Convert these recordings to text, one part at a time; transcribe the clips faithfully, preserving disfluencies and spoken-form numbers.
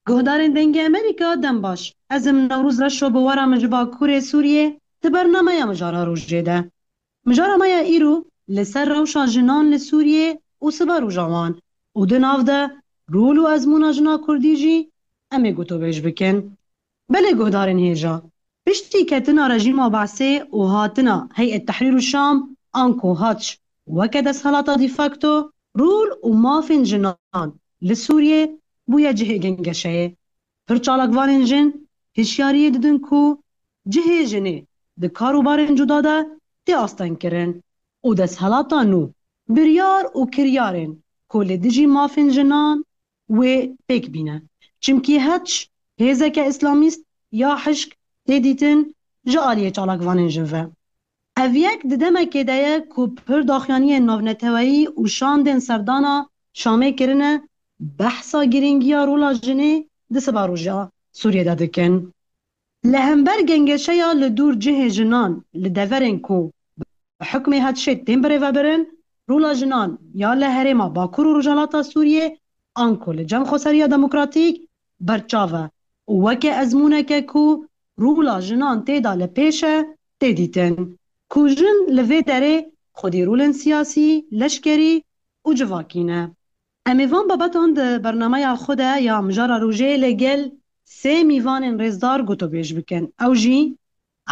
Guhdarên Dengê Amerîka, dem baş. Ez im Newroz Reşo, bi we re min ji Bakurê Sûriyê di bernameya Mijara Rojê de. Mijara me ya îro li ser rewşa jinan li Sûriyê û siberoja wan û di nav de rol û ezmûna jina kurdî jî em ê gotobêj bikin. Belê guhdarên hêja, piştî ketina rejîma Be'sê û hatina Heyet Tehrîr û Şam, anku Haç, weke desthilata de facto, rol û mafên jinan li Sûriyê bûye cihê gengeşeyê. Pir çalakvanên jin hişyariyê didin ku cihê jinê di kar û barên cuda de tê astengkirin û desthilata nû biryar û kiryarên ku li dijî mafên jinan wê pêk bîne. Çimkî Haç hêzeke îslamîst ya hişk tê dîtin ji aliyê çalakvanên jin ve. Ev yek di demekê de ye ku pir daxuyaniyên navneteweyî û şandên serdana Şamê kirine behsa girîngiya rola jinê di siberoja Sûriyê de dikin. Li hember gengeşeya li dûr cihê jinan li deverên ku bi hukmê Haçê tên birêvebirin, rola jinan ya li herêma Bakur û Rojhilata Sûriyê anku li cem xweseriya demokratîk berçav e û weke ezmûneke ku rola jinan tê de li pêş e, tê dîtin ku jin li vê derê xwedî rolên siyasî, leşkerî û civakî ne. Em ê van babetan di bernameya xwe de ya Mijara Rojê li gel sê mîvanên rêzdar gotobêj bikin. Ew jî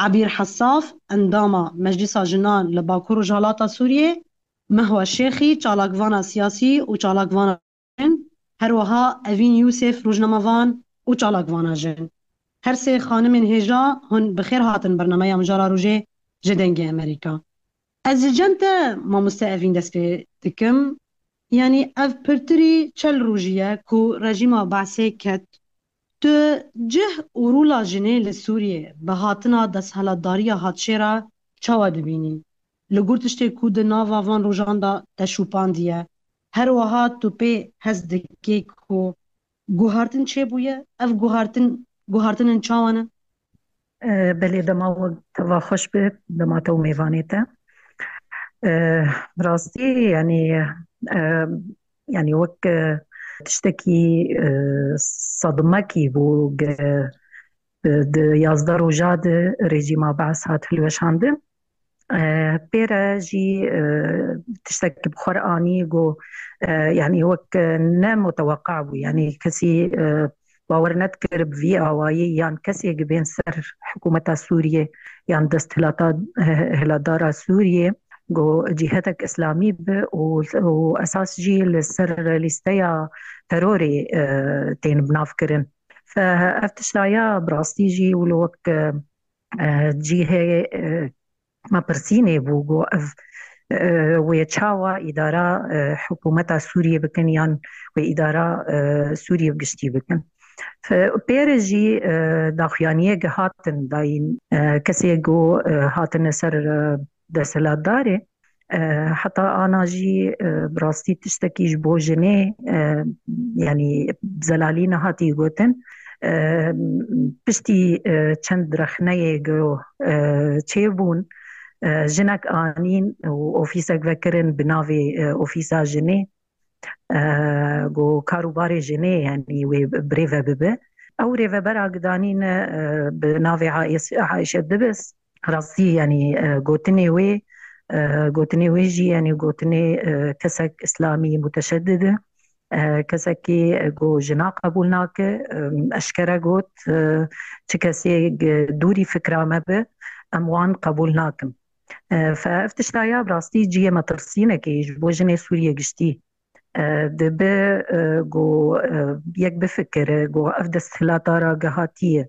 Ebîr Hesaf, endama Meclisa Jinan li Bakur Rojhilata Sûriyê, Mehwa Şêxî, çalakvana siyasî û çalakvana jin, her wiha Evîn Yûsef, rojnamevan û çalakvana jin. Her sê xanimên hêja hûn bi xêr hatin bernameya Mijara Rojê ji Dengê Amerîka. Ez ji cem te, mamoste Evîn, dest pê dikim. Yanî ev pirtirî çel rojî ye ku rejîma Be'sê ket. Tu cih û rola jinê li Sûriyê bi hatina desthilatdariya Haçê re çawa dibînî? Li gor tiştê ku di nava van rojan de te şûpandiye, her wiha tu pê hest dikî ku guhartin çêbûye? Ev guhartin, guhartinên çawa ne? E, belê, dema we teva xweş be, dema te û mêvanê te. E, bi rastî, yanî, e, yanî wek, e, tiştekî, e, sedmekî bû, ge-, e, di yazdeh roja de rejîma Be'es hat hilweşandin. E, pê re jî, e, tiştekî bi xwe re anî, got, e, yanî wek, e, ne muteweqa bû, yanî kesî, e, bawer nedikir bi vî awayî yan kesê gi bên ser hikûmeta Sûriyê yan desthilata, eh, hilatdara Sûriyê, got cîhedek îslamî bi û, û esas jî li ser lîsteya terorê, eh, tên binavkirin. Fe ev tiştaya bi rastî jî wilo wek, eh, cîhê, eh, me pirsînê bû, got ev, eh, wê çawa îdara, eh, hikûmeta Sûriyê bikin yan wê îdara, eh, Sûriyê bi giştî bikin. Fe-, pê re jî, eh, daxuyaniyê gihatin dayîn, eh, kesê got, eh, hatine ser, eh, desthilatdarê. Eh, heta ana jî, eh, bi rastî tiştekî ji bo jinê, eh, yanî zelalî nehatî gotin. Eh, piştî, eh, çend rexneyê go, eh, çêbûn, eh, jinek anîn û ofîsek vekirin bi navê, eh, Ofîsa Jinê. Eh, go kar û barê jinê, yanî wê birêve bibe. Ew rêvebera gidanîne, eh, bi navê Ayşe, Ayşe Dibis. Rastî, yanî, e, gotinê wê, e, gotinê wê jî, yanî gotinê, e, kesek îslamî muteşeddid e, e, kesekî, e, ku jina qebûl nake, e, eşkere got, e, çi kesê, e, dûrî fikra me be, em wan qebûl nakin. E, fe ev tişta ya bi rastî cihê metirsînekê ji bo jinê Sûriyê giştî. E, dibe, e, ku, e, yek bifikire, ku ev desthilatdara gehatiye,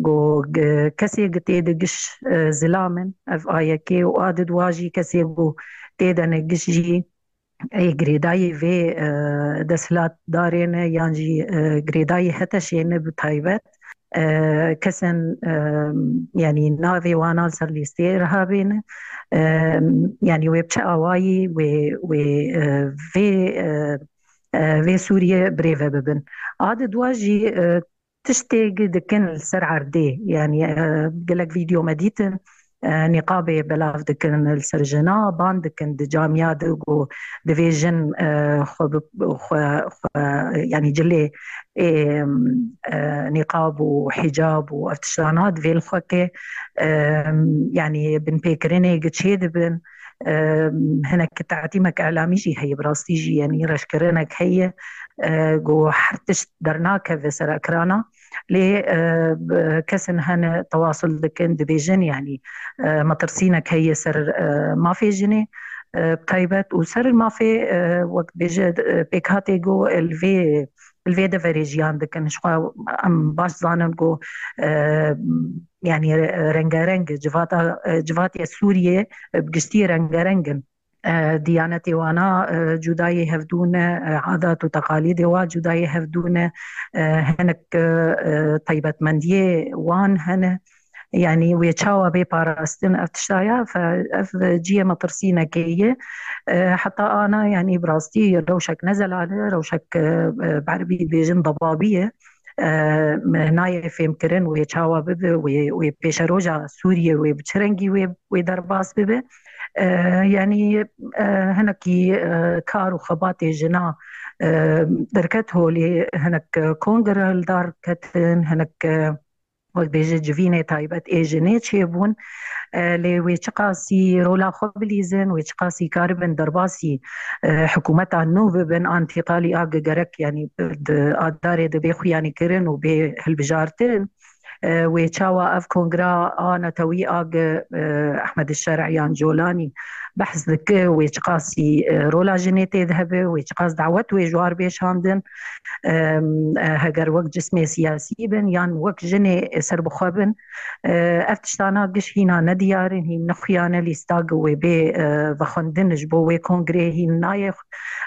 ku, e, kesê gi tê de giş, e, zilam in, ev A Y K û a di dua jî kesê ku tê de ne giş jî ê girêdayî vê, e, desthilatdarê ne yan jî, e, girêdayî HTŞ'ê ne bi taybet. E, kesên, e, yanî navê wana li ser lîsteyê rihabêne. E, yanî wê bi çi awayî wê, wê, e, vê, e, e, vê Sûriyê birêve bibin. A di dua jî, e, tiştê gi dikin li ser erdê. Yanî, e, gelek vîdeo me dîtin. e, nîqabê belav dikin li ser jina, ban dikin di camiya de ku divê jin, e, xwe bi, xwe, xwe, yanî cilê, e, e, nîqab û hicab û ev tiştana divê li xwe ke, e, yanî binpêkirinê gi çê dibin. E, hinek te'tîmek elamî jî heye, bi rastî jî, yanî reşkirinek heye, e, ku her tişt dernakeve ser ekrana. Lê, e, b-, kesin hene tewasul dikin, dibêjin, yanî, e, metirsînek heye ser, e, mafê jinê, e, bi taybet û ser mafê, e, wek bêje, e, pêkhatê ku li vê, li vê deverê jiyan dikin. Ji xwe em baş zanin ku, e, yanî re-, rengareng, civata, e, civatê Sûriyê, e, bi giştî rengareng in. E, diyanetê wana, e, cudayê hevdû ne, e, adat û teqalîdê wa cudayê hevdû ne, e, hinek, e, e, taybetmendiyê wan hene. Yanî wê çawa bê parastin ev tiştaya, fe-, ev ciyê metirsînekê ye. E, heta ana, yanî bi rastî rewşek ne zelal e, rewşek, e, e, bi erebî dibêjin debabî ye. E, nayê fêmkirin wê çawa bibe, wê, wê pêşeroja Sûriyê wê bi çi rengî wê, wê derbas bibe. E, yanî, e, hinekî, e, kar û xebatê jina, e, derket holê, hinek kongre li dar ketin, hinek, e, wek bêje civînê taybet ê jinê çêbûn. E, lê wê çiqasî rola xwe bilîzin, wê çiqasî karibin derbasî, e, hikûmeta nû bibin, antîqalî a ge-, gerek, yanî di adarê de bê xuyanî kirin û bê hilbijartin. E, wê çawa ev kongra a netewî a ge, e, Ehmed Şer'yan Colanî behs dike, wê çiqasî, e, rola jinê tê de hebe, wê çiqas dawet wê ji war bê şandin, e, e, heger wek cismê siyasî bin yan wek jinê serbixwe bin. E, ev tiştana giş hîna nediyar in, hîn nexuyane lîsta ge wê bê, e, vexwendin ji bo wê kongrê hîn nayê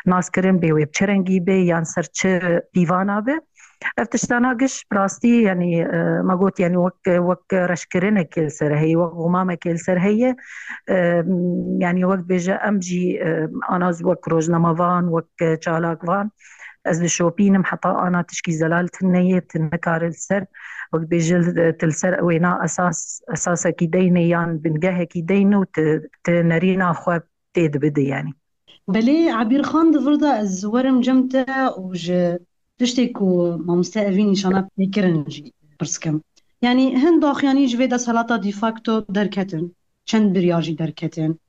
naskirin, bê wê bi çi rengî bê yan ser çi pîvana be. Ev tiştana giş bi rastî, yanî, e, me got, yanî wek, wek reşkirinekê li ser heye, wek xumamekê li ser heye. E, yanî wek bêje em jî, e, ana zû wek rojnamevan, wek çalakvan, ez dişopînim heta ana tişkî zelal tune ye, tu nikare li ser, wek bêje, tu li ser wêna esas, esasekî deyne yan bingehekî deyne û tu, tu nerîna xwe tê dibide, yanî. Belê, Ebîrxan, di vir de ez werim cem te û ji tiştê ku mamoste Evîn nîşana pê kirin jî pirs kim. Yanî hin daxuyanî ji vê desthilata de facto derketin, çend biryar jî derketin.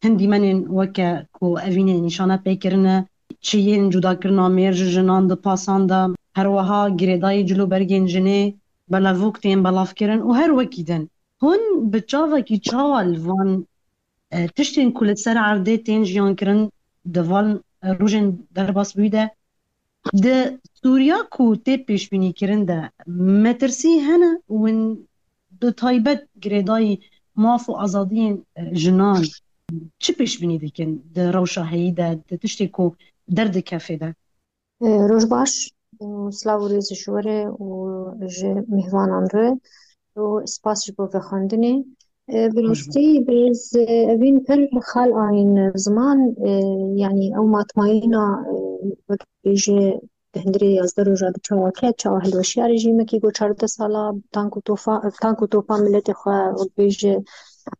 Hin dîmenên weke ku Evînê nîşana pê kirine, çiyên cudakirina mêr ji jinan di pasan de, her wiha girêdayî cil û bergên jinê belevok tên belavkirin û her wekî din. Hûn bi çavekî çawa li van, e, tiştên ku li ser erdê tên jiyan kirin di van, e, rojên derbasbûyî de, di Sûriya ku tê pêşbînîkirin de metirsî hene û hûn bi taybet girêdayî maf û azadiyên, e, jinan çi pêşbînî dikin di rewşa heyî de, di tiştê ku derdikefê de? E, roj baş û silav û rêz ji we re û ji mêhvanan re û spas ji bo vexwendinê. E, bi rastî birêz, e, Evîn pir xal anîn ziman, e, yanî ew matmayîna, e, wek bêje di hundirê yazdeh roja de çawa ket, çawa hilweşiya rejîmekî ku çardeh sala tank û tofa-, tank û topan miletê xwe wek bêje,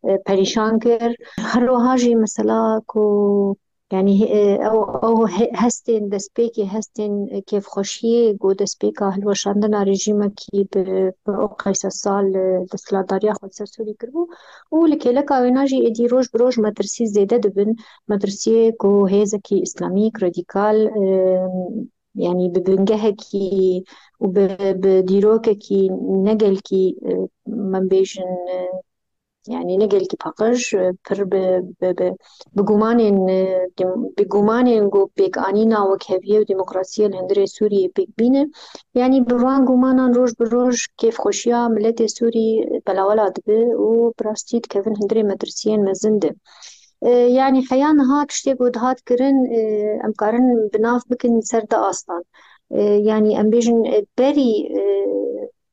e, perîşan kir. Her wiha jî mesela ku Yanî, e, ew, ew he-, hestên destpêkê, hestên, e, kêfxweşiyê ku destpêka hilweşandina rejîmekî bi, bi ew qeyse sal, e, desthilatdariya xwe li ser Sûrî kiribû û li kêleka wêna jî êdî roj bi roj metirsî zêde dibin. Metirsiyê ku hêzekî îslamîk, radîkal, e, yanî bi bingehekî û bi, bi dîrokekî ne gelkî, e, me bêjin, e, yanî ne gelkî paqij, e, pir bi, bi, bi, bi gumanên, e, dem-, bi gumanên ku pêkanîna wekheviyê û demokrasiyê li hundirê Sûriyê pêk bîne. Yanî bi van gumanan roj bi roj kêfxweşiya miletê Sûrî belawela dibe û bi rastî dikevin hundirê metirsiyên mezin de. E, yanî heya niha tiştê ku dihat kirin, e, em karin bi nav bikin ser du astan. E, yanî em bêjin, e, berî, e,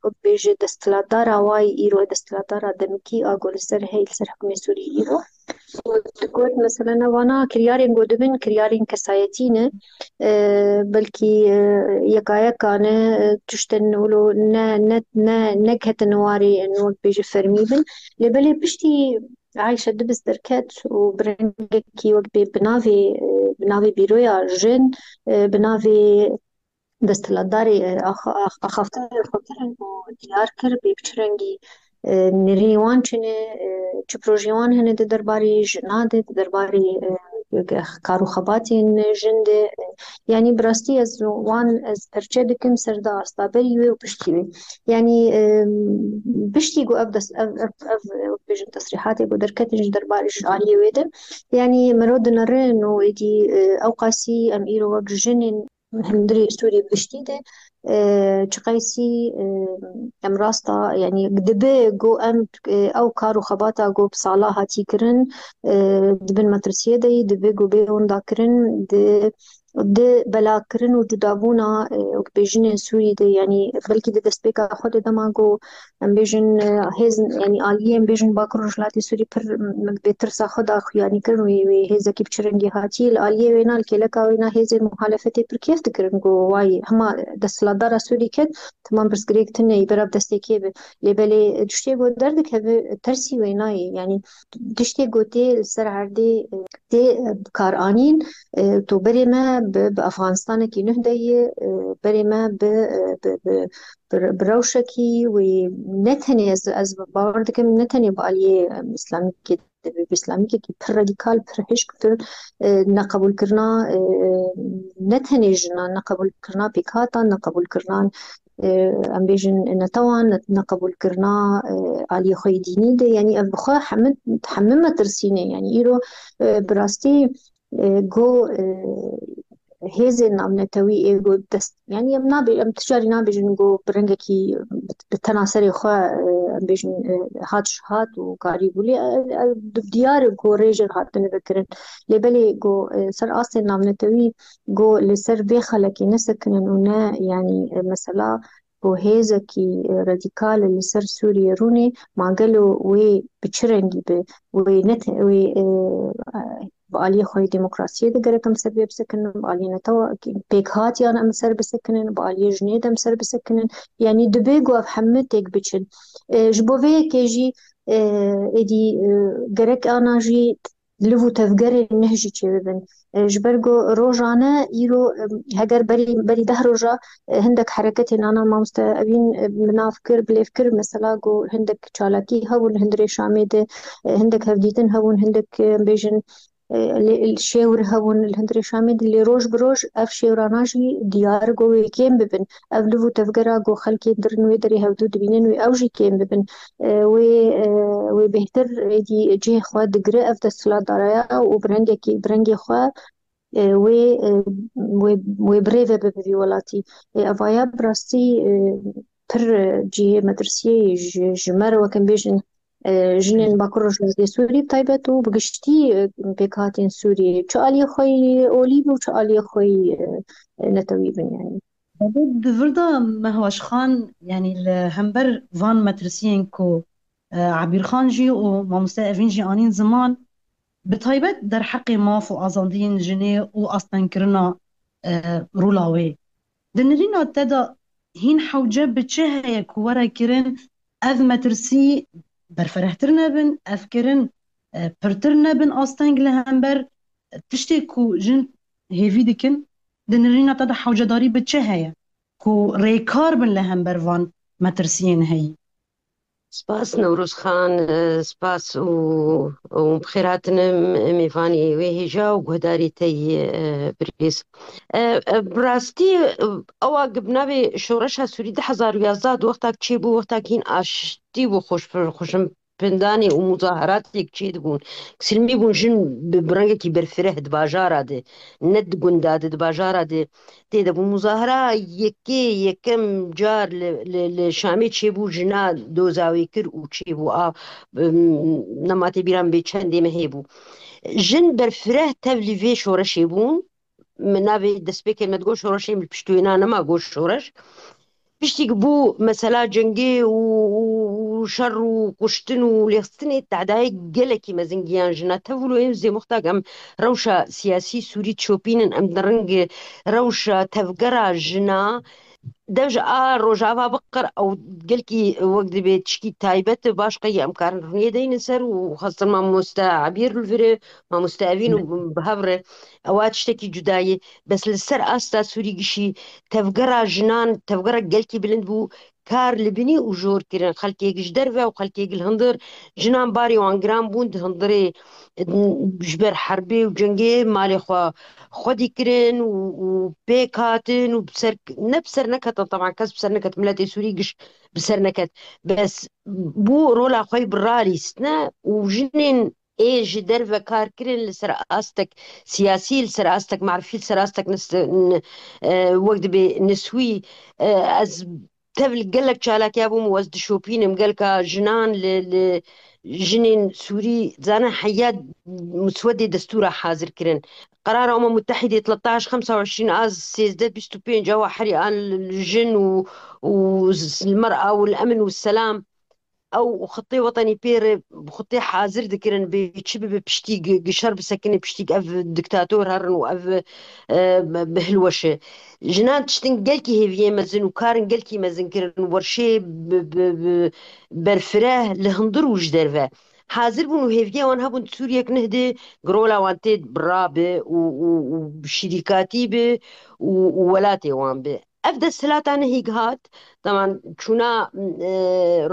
wek bêje desthilatdara wa yî îro, desthilatdara demikî a ku li ser hey, li ser hikûmê Sûrî îro. Digot, mesela, ne vana kiryarên ku dibin, kiryarên kesayetî ne. E, belkî, e, yeka yeka ne, e, tiştên wilo ne, ne, ne, neketin warê, wek bêje, fermî bin. Lê belê piştî Ayşe Dibis derket û bi rengekî wek bê bi navê, e, bi navê Bîroya Jin, e, bi navê desthilatdarê, e, axa-, ax-, axaftinên xwe kirin û diyar kir bê bi çi rengî, e, nirî wan çi ne, e, çi projeyê wan hene di derbarê jina de, di derbarê, e, kar û xebatên jin de, e, yanî bi rastî ez wan, ez perçe dikim ser da asta berî wê û piştî wê. Yanî, e, piştî ku ev dest, ev, ev, ev, ev bêjin tesrîhatê ku derketin ji derbarê ji aliyê wê de, yanî mero dinere no êdî, e, ew qasî em îro wek jinên hundirê Sûrî giştî de, e, çiqeysî, e, em rasta, yanî dibe ku em, e, ew kar û xebata ku bi sala hatî kirin, e, di bin metirsiyê de yî, dibe ku bê winda kirin, di, di belakirin û cudabûna, e, wek bêjinên Sûrî de, yanî belkî di destpêka xwe de dema ku em bêjin, e, hêz, yanî aliyê em bêjin Bakur Rojhilatê Sûrî pir, m, bê tirsa xwe da xuyanî kirin wê, wê hêzekî bi çi rengî hatî. Li aliyê wêna, li kêleka wêna hêzên muhalefetê pir kêf dikirin ku wayî hema desthilatdara Sûrî ket, temam pirsgirêk tune yî berav destê kê be. Lê belê tiştê ku derdikeve tersî wêna ye. Yanî tiştê ku tê li ser erdê, e, tê, e, bi kar anîn, e, to berê me bi, bi Afganistanekî nuh de ye, e, berê me bi, e, bi, bi, bi, bi rewşekî wê ne tenê ez, ez bawer dikim ne tenê bi aliyê, em, îslamîkê de be, bi îslamîkekî pir radîkal, pir hişk, pir, e, neqebûlkirina, e, ne tenê jinan, neqebûlkirina pêkhatan, neqebûlkirina, e, em bêjin netewan, ne-, neqebûlkirina, e, aliyê xwe yê dînî de, yanî ev bi xwe hemû, hemû metirsî ne. Yanî îro, e, bi rastî, e, go, e, hêzên navnetewî ê go dest, yanî em nabê-, em ticarî nabêjin go bi rengekî bi, bi tena serê xwe, e, em bêjin, e, hat ji hat û karî bû. Lê, e, e, di diyar e go rêjên hatine vekirin. Lê belê go, e, ser astên navnetewî go li ser vê xelekê nesekinin û ne, yanî, e, mesela ku hêzekî, e, radîkal li ser Sûriyê rûnê, ma gelo wê bi çi rengî be, wê ne te-, wê, e, e, bi aliyê xwe yê demokrasiyê de gerek em ser vê bisekinin, bi aliyê netewa pêkhatiyan em ser bisekinin, bi aliyê jinê de em ser bisekinin. Yanî dibe ku ev hemû têk biçin. E, ji bo vê yekê jî, e, êdî, e, gerek ana jî liv û tevgerên nuh jî çêbibin. E, ji ber ku rojane îro, e, heger berî, berî deh roja, e, hindek hereketên ana mamoste Evîn, e, bi nav kir, bi lêv kir, mesela ku hindek çalakî hebûn li hundirê Şamê de, e, hindek hevdîtin hebûn, hindek, e, em bêjin, e, lê-, şêwr hebûn li hundirê Şamê de, lê roj bi roj ev şêwrana jî diyar ku wê kêm bibin. Ev liv û tevgera ku xelkê dirin wê derê hevdû dibînin wê ew jî kêm bibin. E, wê, e, wê bêhtir êdî cihê xwe digire ev desthilatdaraya û bi rengekî, bi rengê xwe, e, wê, e, wê, wê bi rê ve bibe vî welatî. E, evaya bi rastî, e, pir, e, cihê metirsiyê ye ji, ji me re, wek em bêjin, e, jinên Bakur Rojhilatê Sûrî bi taybet û bi giştî, e, pêkhatên Sûriyê çi aliyê xwe yî olî bin û çi aliyê xwe yî, e, netewî bin, yanî. Belê, di vir de Mehweş Xan, yanî li hember van metirsiyên ku, e, Ebîr Xan jî û mamoste Evîn jî anîn ziman, bi taybet derheqê maf û azadiyên jinê û astengkirina, e, rola wê. Di nirîna te de hîn hewce bi çi heye ku were kirin ev metirsî berfirehtir nebin, ev kirin, e, pirtir nebin asteng li hember tiştê ku jin hêvî dikin? Di nirîna te de hewcedarî bi çi heye ku rêkar bin li hember van metirsiyên heyî? Spas Newroz Xan, e, spas û, û bi xêr hatine mêvanê wê hêja û guhdarê te yî, e, birêz. E, e, bi rastî, e, ewa gi bi navê Şoreşa Sûrî du hezar û yazdeh di wexta çêbû, wexta hîn aştî bû, xweş-, xweşim pindanê û muzaheratêk çêdibûn. Silmî bûn jin bi, bi rengekî berfireh di bajara de, ne di gunda de, di bajara de tê de bû. Muzahera yekê, yekem car li, li, li Şamê çêbû, jina doza wê kir û çêbû. A, em, nema tê bîra min bê çendê mehê bû. Jin berfireh tevlî vê şoreşê bûn. Min navê destpêkê me digot şoreşê, min piştwêna nema got şoreş. Piştî ku bû mesela cengê û, û, û şer û kuştin û lêxistinê tedayê gelekî mezin giyan jina. Tev wilo ên zêmoxtak em rewşa siyasî Sûrî dişopînin, em di ring rewşa tevgera jina dev ji a rojava biqir ew gelkî wek dibê tişkî taybet baş qey em karin rûniyê deynin ser û xwestin mamoste Ebîr li virê, mamoste Evîn û bi hev re ewa tiştekî cudayî. Bes li ser asta Sûrî gişî tevgera jinan, tevgera gelkî bilind bû, kar li binî û jor kirin. Xelkê ji derve û xelkê li hundir jinan barê wan giran bûn di hundirê ji ber herbê û cengê malê xwe xwedî kirin û, û pêk hatin û bi ser, ne bi ser neketin, teban kes bi ser neket, miletê Sûrî giş bi ser neket. Bes bû rola xwe yî bi ralîstine û jinên ê ji derve kar kirin li ser astek siyasî, li ser astek marifî, li ser astek nis-, n-, e, wek dibê niswî, e, ez tev li gelek çalakiya bûm û ez dişopînim gelka jinan li, li jinên Sûrî, zane heya muswedê destûra hazir kirin. Qerara Umem Mutehîdê thirteen xemsa û îşrîn a sêzdeh bîst û pênc ewa herî an li jin û, û z-, li mer'a û li emin û selam ew xitê wetenî pê re xitê hazir dikirin bê çi bibe piştî gi-, gi şer bisekine piştî ev diktator herin û ev, e, bi hilweşe. Jinan tiştin gelkî hêviyê mezin û karin gelkî mezin kirin werşê bi, bi, bi berfireh li hundir û ji derve. Hazir bûn û hêviyê wan hebûn di Sûriyek nihdê girola wan tê bira bi û, û, û şirîkatî bi û, û welatê wan bi. Ev desthilata nehîk hat, teman çûna, e,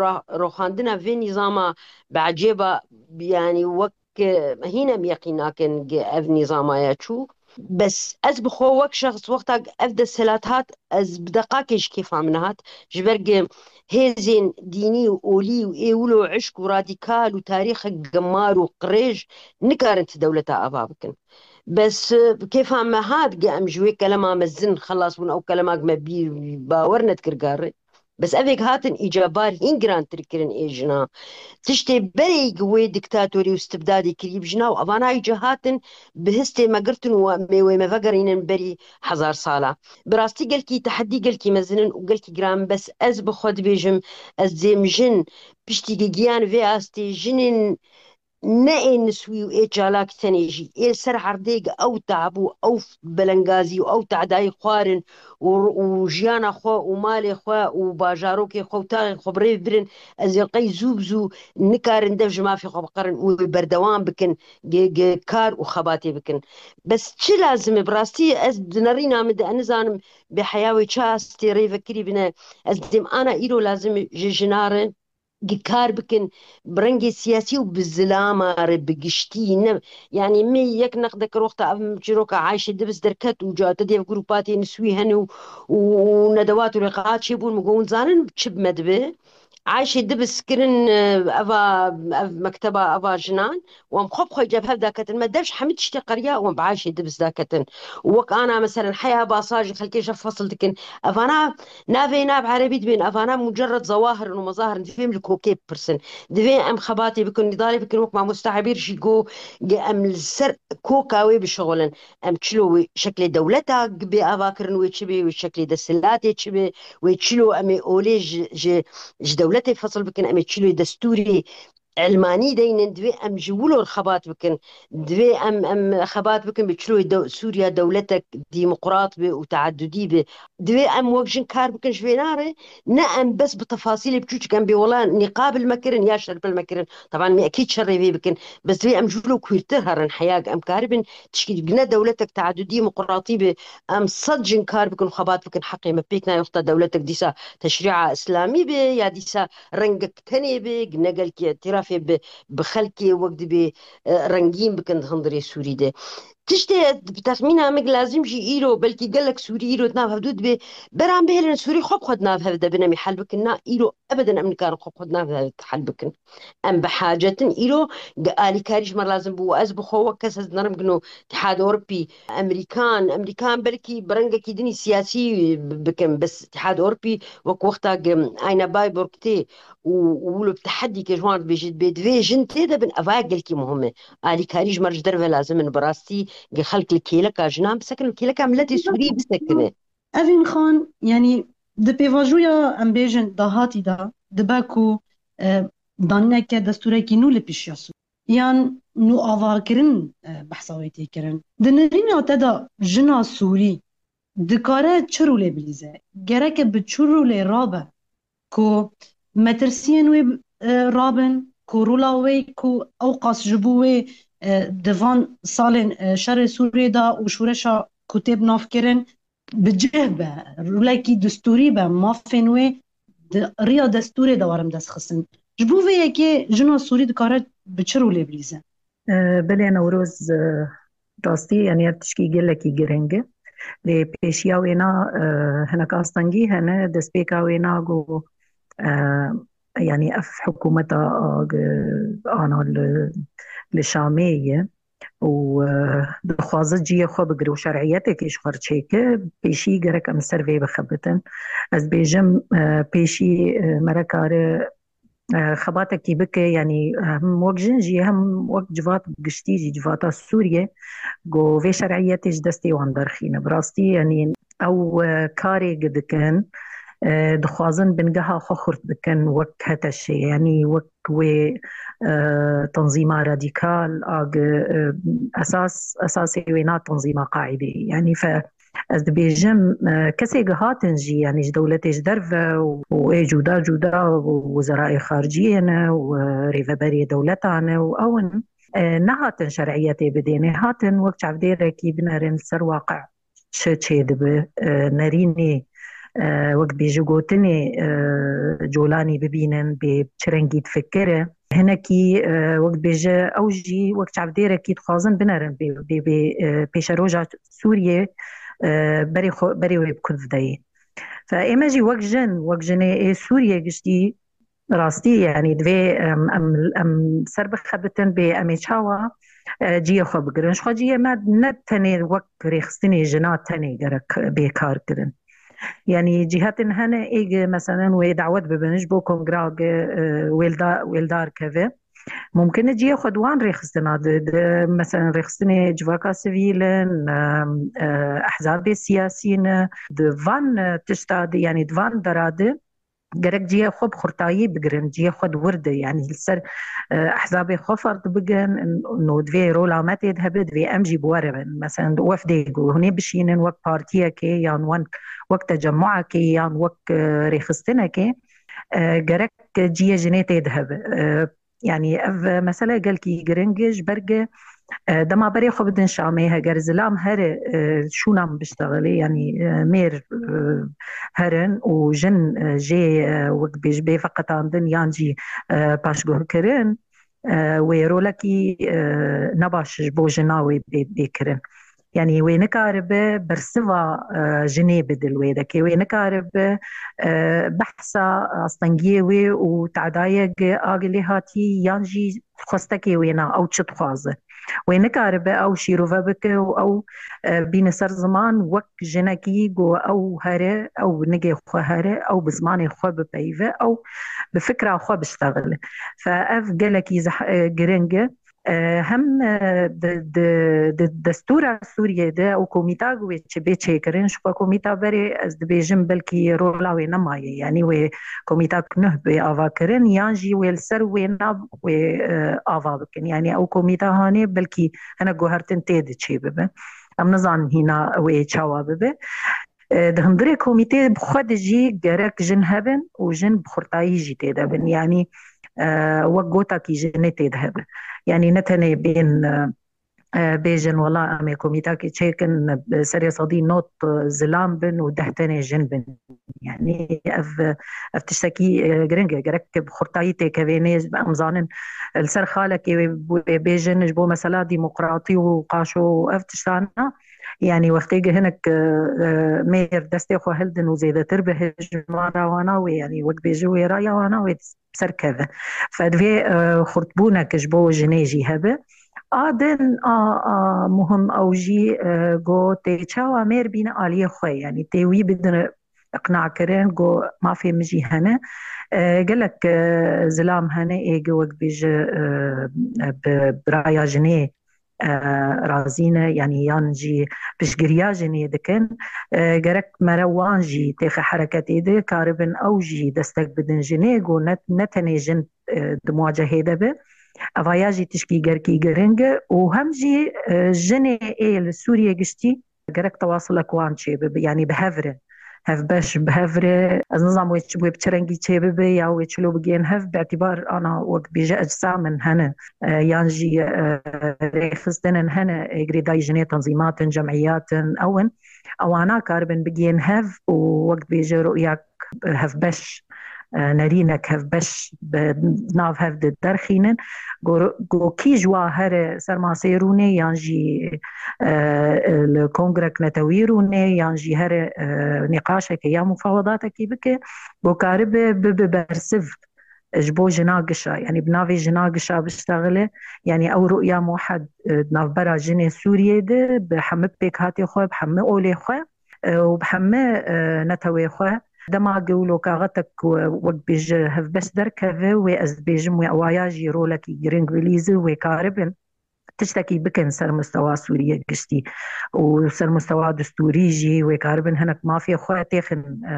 ra-, roxandina vê nîzama bi ecêba, yanî wek, e, hîn em yeqîn nakin ge ev nîzama ya çû. Bes ez bi xwe wek şexs wexta ev desthilat hat, ez bi deqakê ji kêfa min hat. Ji ber ge hêzên dînî û olî û ê wilo eşk û radîkal û tarîxek gemar û qirêj nikarin ti dewleta ava bikin. Bes, e, kêfa me hat ge em ji wê kelema mezin xelas bûn, ew kelemak me bî bawer nedikir gare. Bes evêk hatin îca bar hîn girantir kirin ê jina. Tiştê berê gi wê diktatorî û stibdadê kirî bi jina û evana îca hatin bi histê me girtin û em ê wê me vegerînin berî hezar sala. Bi rastî gelkî tehedî gelkî mezin in û gelkî giran, bes ez bi xwe dibêjim, ez dêm jin piştî gi giyan vê astê jinên ne ê niswî û ê çalak tenê jî, ê li ser erdê gi ew tab û ew belengazî û ew tadayî xwarin û, û jiyana xwe û malê xwe û bajarokê xwe û taxê xwe bi rê birin, ez ê qey zû bi zû nikarin dev ji mafê xwe biqerin û wê berdewam bikin gi, gi kar û xebatê bikin. Bes çi lazim e? Bi rastî ez di nerîna min de, ez nizanim bê heya wê çi astê rê vekirî bine. Ez dêm ana îro lazim e ji jina re gi kar bikin, bi rengê siyasî û bi zilama re bi giştî ne. Yanî min yek neqde kir wexta ev çîroka Ayşê Dibis derket û ca te dê ev grûpa tê niswî hene û, û, û nedewat û lîqaat çêbûn, min got, hûn zanin çi bi me dibe? Ayşê Dibis kirin, e, eva, ev mekteba eva jinan û em xwe bi xwe cev hev daketin. Me dev ji hemî tiştê qeriya û em bi Ayşê Dibis daketin. Û wek ana meselen heya basa ji xelkê ji fesil dikin. Evana navê nav erebî dibên, evana mucerred zewahir in û mezahir in, divê em li kokê bipirsin. Divê em xebatê bikin, nîdalê bikin, wek mamoste Ebîr jî got, ge em li ser koka wê bişixulin. Em çilo wê şeklê dewleta bê avakirin, wê çi bê, wê şeklê desthilatê çi bê, wê çilo em ê olê ji, ji, ji dewletê fesil bikin, em ê çilo destûrê elmanî deynin, divê em ji wilo re xebat bikin. Divê em, em xebat bikin bi çiloyê dew-, Sûriya dewletek demokrat be û teadudî be. Divê em wek jin kar bikin ji vê nare, ne em bes bi tefasîlê biçûçik em bê wela nîqab li me kirin ya şerpil me kirin. Teban me ekî çi rêvê bikin. Bes divê em ji wilo kûrtir herin, heya em karibin tişkî ne dewletek teadudî demokratî be. Em sed jin kar bikin û xebat bikin, heqê me pêk nayê wexta dewletek dîsa teşrîa îslamî be ya dîsa rengek tenê be, ne gelkî îtirafê bi, bi xelkê wek dibê, e, rengîn bikin di hundirê Sûrî de. Tiştê bi texmîna min lazim jî îro, belkî gelek Sûrî îro di nav hevdû dibê, beran bihêlin Sûrî xwe bi xwe di nav hev de bin em ê hel bikin. Na, îro ebeden em nikarin xwe bi xwe di nav hev de hel bikin. Em bi hacetin îro gi alîkarî ji me lazim bû. Ez bi xwe wek kes ez dinerim gino Tihad Ewropî, Emerîkan, Emerîkan belkî bi rengekî dinî siyasî bikin, bes Tihad Ewropî wek wexta gi Ayna Bayburg tê û, û wilo bi tehedî ke ji wan dibêjî, dibê divê jin tê de bin, eva gelkî muhim e. Alîkarî ji me re ji derve lazim in, bi rastî gi xelk li kêleka jinan bisekin, li kêleka miletê Sûrî bisekine. Evîn Xan, yanî di pêvajoya em bêjin dahatî de dibe ku e, danîneke destûrekî nû li pêşiya Sûrî yan nû avakirin, e, behsa wê tê kirin. Di nerîna te de jina Sûrî dikare çi rolê bilîze? Gereke bi çi rolê rabe ku metirsiyên wê, e, rabin, ku rola wê ku ew qas ji bo wê, e, di van salên, e, şerê Sûriyê de û şoreşa ku tê bi nav kirin, bi cih be, rolekî destûrî be, mafên wê di riya destûrê de werin destxistin. Ji bo vê yekê jina Sûrî dikare bi çi rolê bilîze? E, belê Newroz, e, rastî, yanî ev tişkî gelekî giring e. Lê pêşiya wê na, e, hinek astengî hene, destpêka wê na ku, e, yanî ev hikûmeta, e, ana li, li Şamê ye û, e, dixwaze cihê xwe bigire û şer'iyetekê ji xwe re çêke, pêşî gerek em ser vê bixebitin. Ez dibêjim, e, pêşî, e, me re kare, e, xebatekî bike, yanî hem wek jin jî hem wek civat giştî jî, civata Sûriyê, ku vê şer'iyetê ji destê wan derxîne. Bi rastî, yanî ew, e, karê gi dikin, e, dixwazin bingeha xwe xurt bikin wek HTŞ'ê, yanî wek wê, e, tenzîma radîkal a gi, e, esas, esasê wê na tenzîma Qaîdeyê. Yanî fe, ez dibêjim, e, kesê gi hatin jî, yanî ji dewletê ji derve û, û ê cuda cuda û wezerayê xariciyê ne û, e, rêveberê dewletan e û ew in, e, nehatin şer'iyetê bidêne, hatin wek çavdêrekî binerin li ser waqi çi çêdibe, e, nerînê, e, wek dibêje gotinê, e, Colanî bibînin, bê çi rengî difikire. Hinekî, e, wek dibêje ew jî wek çavdêrekî dixwazin binerin bê, bê, bê, e, pêşeroja Sûriyê, e, berê xwe, berê wê bi ku dideyê. Fe ê me jî wek jin, wek jinê ê Sûriyê giştî, rastî, yanî divê em, em, em ser bixebitin bê em ê çawa, e, cihê xwe bigirin. Ji xwe cihê me ne tenê wek rêxistinê jina tenê gerek bê kar kirin. Yanî cîhatên hene ê gi, meselen, wê dawet bibin ji bo kongra gi, e, wêlda-, wêldar keve. Mumkin e cihê xwe di wan rêxistina di, di, meselen, rêxistinê civaka sivîl in, e, e, ehzabê siyasî ne, di van, e, tişta di, yanî di van dera di gerek cihê xwe bi xurtayî bigirin, cihê xwe di wir de, yanî li ser, e, ehzabê xwe ferq bikin, no divê rola me tê de hebe, divê em jî bi we re bin. Meselen, di wefdê ku hûn ê bişînin wek partiyekê yan wen-, wek tecemmuekê yan wek, e, rêxistinekê, e, gerek cihê jinê tê de hebe. E, Yanî ev mesele gelkî giring e, ji ber ku, e, dema berê xwe bidin Şamê, heger zilam here, e, şûna min biştexilê, yanî, e, mêr, e, herin û jin, e, jê, e, wek bêj bê veqetandin yan jî, e, paşguhkirin, e, wê rolekî, e, nebaş ji bo jina wê bê, bê kirin. Yanî wê nikaribe bersiva, e, jinê bide li wê dekê. Wê nikaribe, e, behsa astengiyê wê û tadayek a lê hatî yan jî xwestekê wê na ew çi dixwaze. Wê nikaribe ew şîrove bike û ew, e, bîne ser ziman wek jinekî ku ew here, ew bi nigê xwe here, ew bi zimanê xwe bipeyive, ew bi fikra xwe biştexile. Fe ev gelekî zeh-, e, giring e. E, hem, e, di, di, di destûra Sûriyê de û komîta wê çi bê çêkirin, ji xwe komîta berê ez dibêjim belkî rola wê nemaye. Yanî wê komîta nuh bê ava kirin, yan jî wê li ser wê na wê, e, ava bikin. Yanî ew komîta hanê belkî hinek guhertin tê de çê bibe. Em nizanin hîna wê çawa bibe. E, di hundirê komîtê bi xwe de jî gerek jin hebin û jin bi xurtayî jî tê de bin. Yanî, e, wek gotakî jinê tê de hebe. Yanî ne tenê bên, e, e, bêjin, wela em ê komîtakê çêkin, e, serê sedî nod, e, zilam bin û deh tenê jin bin. Yanî ev, ev tiştekî, e, giring e. Gerek bi xurtayî têkevê nê, em zanin, e, li ser xalekê wê, wê bêjin ji bo mesela demokratî û qaşo û ev tiştana. Yanî wextê gi hinek, e, e, mêr destê xwe hildin û zêdetir bi hejmara wana wê, yanî wek bêje wê raya wana wê ser keve. Fe divê, e, xurtbûnek ji bo jinê jî hebe. A din a, a muhim ew jî, e, go tê çawa mêr bîne aliyê xwe, yanî tê wî bidin iqna kirin, go mafê min jî hene. E, gelek, e, zilam hene ê gi wek bêje, e, bi, bi raya jinê e, razî ne, yanî yan jî piştgiriya jinê dikin. E, gerek mere wan jî têxe hereketê de karibin ew jî destek bidin jinê, ku ne, ne tenê jin, e, di muwacehê de be. Evaya jî tişkî gerkî giring e û hem jî, e, jinê ê li Sûriyê giştî gerek tewasilek wan çêbibe, yanî bi hev re, hevbeş bi hev re. Ez nizam wê çi, wê bi çi rengî çêbibe ya wê çilo bigên hev, bi îtibar ana wek bêje ecsamin hene, e, yan jî, e, rêxistinin hene, e, girêdayî jinê tenzîmatin, cemîyatin, ew in. Ewana karibin bigên hev û wek bêje ru'yak hevbeş, e, nerînek hevbeş bi nav hev de derxînin. Go, go kî ji wa here ser masê rûnê yan jî, e, li kongrek netewî rûnê yan jî here, e, nîqaşeke ya mufawedatekî bike, go karibe bibe bersiv ji bo jina gişa, yanî bi navê jina gişa biştexile, yanî ew ru'ya muhed, e, di navbera jinê Sûriyê de bi hemî pêkhatê xwe, bi hemî olê xwe, e, û bi hemî, e, netewê xwe. Dema gewlo kaxetek ku wek bêje hevbeş derkeve, wê ez dibêjim wê ewaya jî rolekî giring bilîze, wê karibin tiştekî bikin ser mustewa Sûriye giştî û ser mustewa distûrî jî wê karibin hinek mafê xwe têxin, e,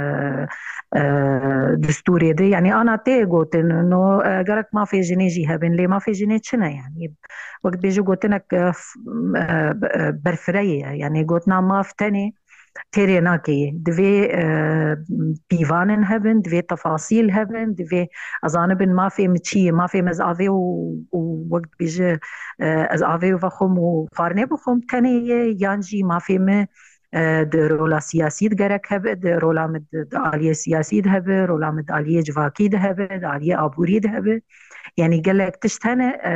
e, distûrê de. Yanî ana tê gotin, no, e, gerek mafê jinê jî hebin, lê mafê jinê çi ne? Yanî wek dibêje gotinek, e, f-, e, e, berfireyê ye. Yanî gotina maf tenê têrê nake. Divê, e, pîvanin hebin, divê tefasîl hebin, divê ez zanibin mafê min çi ye, mafê min ez avê û, û wek dibêje, e, ez avê û vexwim û xwarinê bixwim tenê ye, yan jî mafê min, e, di rola siyasî de gerek hebe, di rola min di, di aliyê siyasî de hebe, rola min di aliyê civakî de hebe, di aliyê aborî de hebe. Yanî gelek tişt hene, e,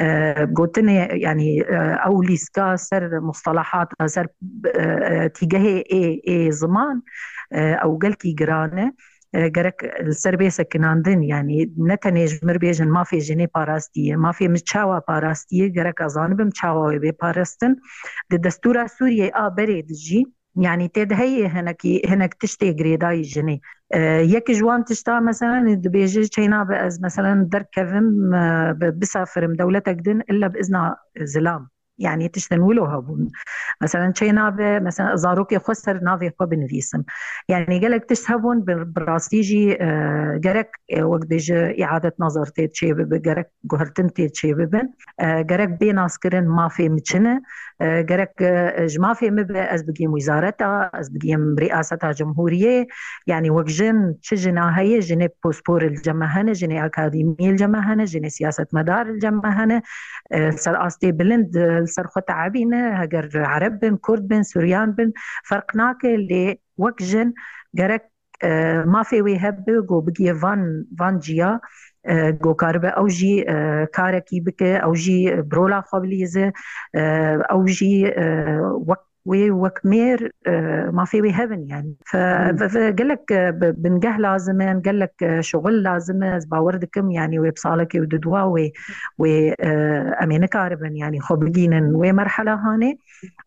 e, gotinê, yanî, e, ew lîska ser mustalahata, ser, e, e, tîgehê ê, ê ziman, e, ew gelkî giran e. E, gerek li ser bê sekinandin, yanî ne tenê ji mir bêjin mafê jinê parastiye, mafê min çawa parastiye, gerek ez zanibim çawa wê bê parastin. Di destûra Sûriyê a berê de jî, yanî tê de heye hinekî, hinek tiştê girêdayî jinê. E, yek ji wan tişta, meselen, dibêje çeyna be ez, meselen, derkevim, e, bi-, bisafirim dewletek din, illa bi izna zilam. Yanî tiştin wilo hebûn. Meselen, çeyna be, meselen, zarokê xwe ser navê xwe binivîsim. Yanî gelek tişt hebûn, bi, bi rastî jî, e, gerek, e, wek dibêje, îadet nazar tê çêbibe, gerek guhertin tê çêbibin. E, gerek bê naskirin mafê min çi ne. E, gerek, e, ji mafê min be ez bigihim wizareta, ez bigihim riyaseta cumhuriyê. Yanî wek jin, çi jina heye, jinê pospor li cem me hene, jinê akademî li cem me hene, jinê siyasetmedar li cem me hene. E, ser astê bilind, e, li ser xwe teebîne, heger ereb bin, kurd bin, suryan bin, ferq nake, lê wek jin gerek, e, mafê wê hebe, go bigihê van, van ciya, e, go karibe ew jî, e, karekî bike, ew jî bi rola xwe bilîze, e, ew jî, e, wek wê wek mêr, e, mafê wê hebin, yanî. Fe-, Hmm. fe-, fe-, gelek, e, bi-, bingeh lazim in, gelek, e, şuxul lazim e. Ez bawer dikim, yanî wê bi salekê û di dua wê, wê, e, em ê nikaribin, yanî xwe bigînin wê merhela hanê.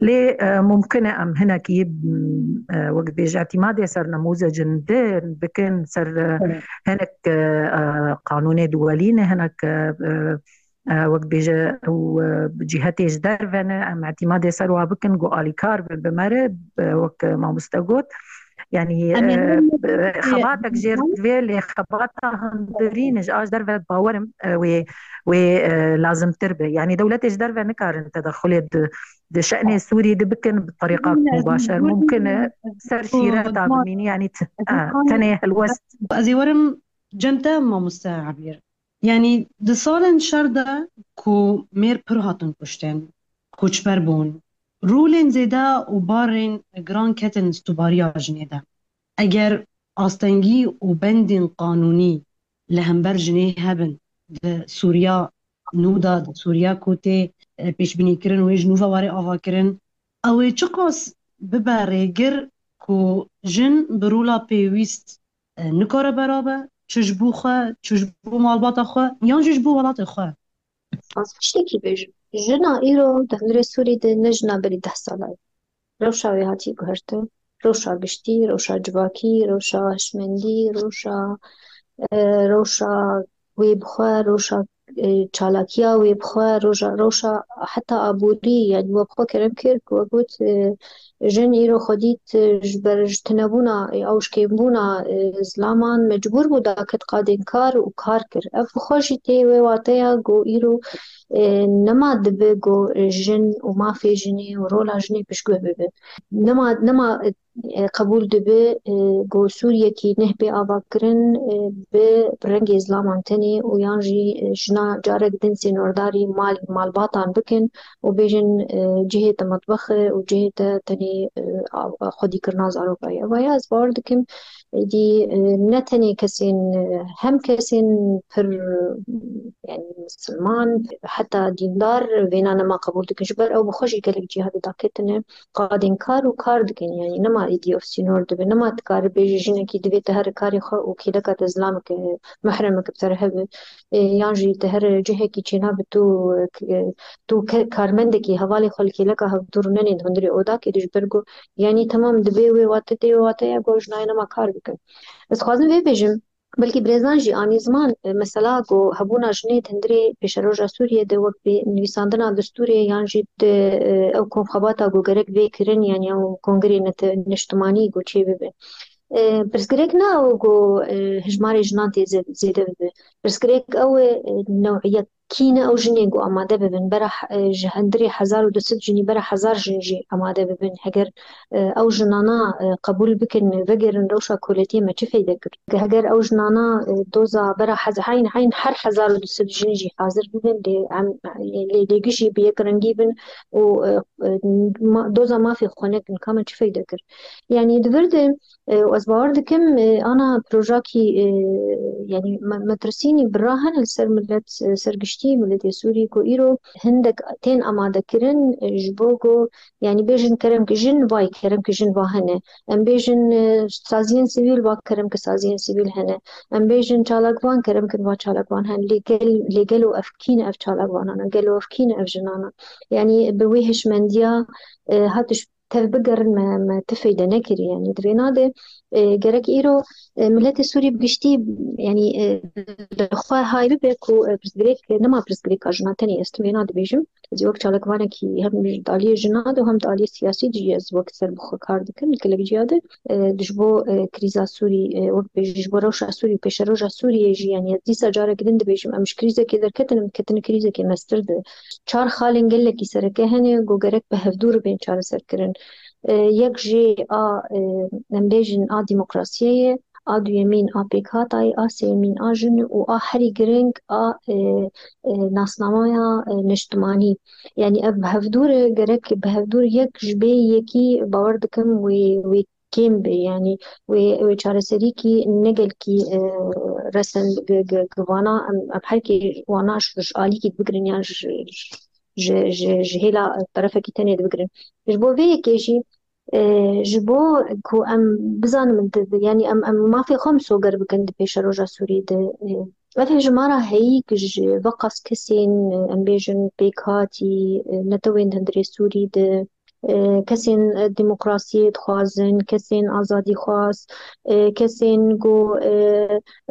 Lê, e, mumkin e em hinekî, m, e, wek dibêje, îtîmadê ser nemûzecin din bikin, ser, e, Evet. hinek, e, e, qanûnê duwelî ne, hinek, e, e, e, wek dibêje, ew, e, cîhetê ji derve ne, em îtîmadê ser wa bikin, ku alîkar bin bi me re, e, wek mamoste got. Yanî, Em ê e, e, xebatek jêr divê, lê xebata hundirîn ji a ji derve bawerim, e, wê, wê, e, lazimtir be. Yanî dewletê ji derve nikarin tedexulê di, di şe'nê Sûrî de bikin bi terîqa Em ê mubaşer. Mumkin e ser şîreta bimînî, yanî t-, e, tenê helwest. Ez ê werim cem te, mamoste Ebîr. Yanî di salên şer de ku mêr pir hatin kuştin, koçber bûn, rolên zêde û barên giran ketin stûbariya jinê de. Eger astengî û bendên qanûnî li hember jinê hebin di Sûriya nû de, di Sûriya ku tê, e, pêşbînîkirin û yê ji nû ve were avakirin, ew ê çiqas bibe rêgir ku jin bi rola pêwîst e, nikare berabe, çi ji bo xwe, çi ji bo malbata xwe, yan jî ji bo welatê xwe. Ez tiştekî bêjim. Jina îro di hundirê Sûrî de ne jina berî deh sala ye. Rewşa wê hatiye guhertin. Rewşa giştî, rewşa civakî, rewşa hişmendî, rewşa, e, rewşa wê bi xwe, rewşa e, çalakiya wê bi xwe roja, rewşa heta aborî, yani we bi xwe kerem kir ku we got, e, jin îro xwe dît, e, ji ber ji tunebûna, e, ew ji kêmbûna, e, zilaman mecbûr bû daket qadên kar û kar kir. Ev bi xwe jî tê wê wateya ku îro, e, nema dibe ku jin û mafê jinê û rola jinê piştguh bibe. Nema, nema, e, qebûl dibe, e, ku Sûriyekî neh bê avakirin, e, bi rengê zilaman tenê û yan jî, e, jina carek din sînordarî mal, malbatan bikin û bêjin, e, cihê te metbex e û cihê te tenê, e, av-, xwedîkirina zarokayê. Ev ya ez bawer dikim, êdî, e, ne tenê kesên, e, hem kesên pir, e, yani misilman, heta dîndar vêna nema qebûl dikin. Ji ber ew bi xwe jî gelek cihadê daketine qadên kar û kar dikin. Yani nema êdî ev sînor dibe. Nema dikare bêje jinekî divê te here karê xwe û kêleka te zilameke, mehremek bi te re hebe. E, yan jî te here cihekî çênabe tu, e, tu ke-, karmendekî hevalê xwe li kêleka hevdûr nenên hundirê odakê de ji ber ku, yani temam dibe wê wate tê wê wateya ku ew jinayê nema kar bikin. Ez dixwazim vê bêjim, belkî birêzan jî anî ziman, e, mesela ku hebûna jinê di hundirê pêşeroja Sûriyê de wek bi nivîsandina destûrê yan jî di, e, ew komxebata ku gerek bê kirin, yani ew kongrê nete-, niştimanî ku çê bibe. E, pirsgirêk ne ew ku, e, hijmarê jinan tê zê-, zêde bibe. Pirsgirêk ew e, e, newiyet kî ne ew jinên ku amade bibin, bera he-, ji hundirê hezar û du sed jinî bera hezar jin jî amade bibin. Heger, e, ew jinana, e, qebûl bikin, vegerin rewşa koletiyê me çi feyde kir? Heger ew jinana, e, doza bera hez-, heyn, heyn her hezar û du sed jin jî hazir bibin, lê em, lê, lê gişî bi yek rengî bin û, e, e, ma-, doza mafê xwe nekin, ka me çi feyde kir? Yani di vir de, e, û ez bawer dikim, e, ana projakî, e, yani me-, metirsînî bira hene li ser millet, e, ser giştî miletê Sûrî ku îro hindek tên amadekirin, e, ji bo ku, yani bêjin kerem ki jin vay, kerem ki jin va hene. Em bêjin, e, saziyên sivîl va kerem ki saziyên sivîl hene. Em bêjin çalakvan, kerem ki va çalakvan hene. Lê gel-, lê gelo ev kî ne ev çalakvanan e, gelo ev kî ne ev jinan e? Yani bi wê hişmendiya, e, hatiş tev bigerin me, me ti feyde nekirî. Yani di vêna de, e, gerek îro, e, miletê Sûrî bi giştî, yani, e, li xwe hay bibe ku, e, pirsgirêk, e, nema pirsgirêka jinan tenê, ez ti vêna dibêjim. Ez wek çalakvanekî hem ji aliyê jinan de û hem di aliyê siyasî de jî ez wek ser bi xwe kar dikim, gelek ciya de, e, ji bo, e, krîza Sûrî, e, wek bêjî ji bo rewşa Sûrî û pêşeroja Sûriyê jî, yani ez dîsa careke din dibêjim, em ji krîzekê derketin, em diketin krîzekê mestir de. Çar xalên gelekî sereke hene ku gerek bi hevdû re bên çareserkirin. E, yek jê a, e, em bêjin a demokrasiyê ye, a duyemîn a pêkhatayê, a sêyemîn a jin û a herî giring a, e, e, nasnameya, e, niştimanî. Yani ev bi hevdû re gerek bi hevdû re yek ji bê yekî bawer dikim wê, wê kêm be. Yani wê, wê çareserîkî ne gelkî, e, resen gi, gi, gi vana em, em herkê wana ji, ji alîkî dibigirin yan ji, ji, ji, ji hêla terefekî tenê dibigirin. Ji bo vê yekê jî, e, ji bo ku em bizanin di, di, yani em, em mafê xwe misoger bikin di pêşeroja Sûriyê de. E, ev hejmara heyî ku ji veqas kesên, e, em bêjin pêkhatî, e, netewên di hundirê Sûrî de, e, kesên, e, demokrasiyê dixwazin, kesên azadîxwaz, e, kesên ku, e,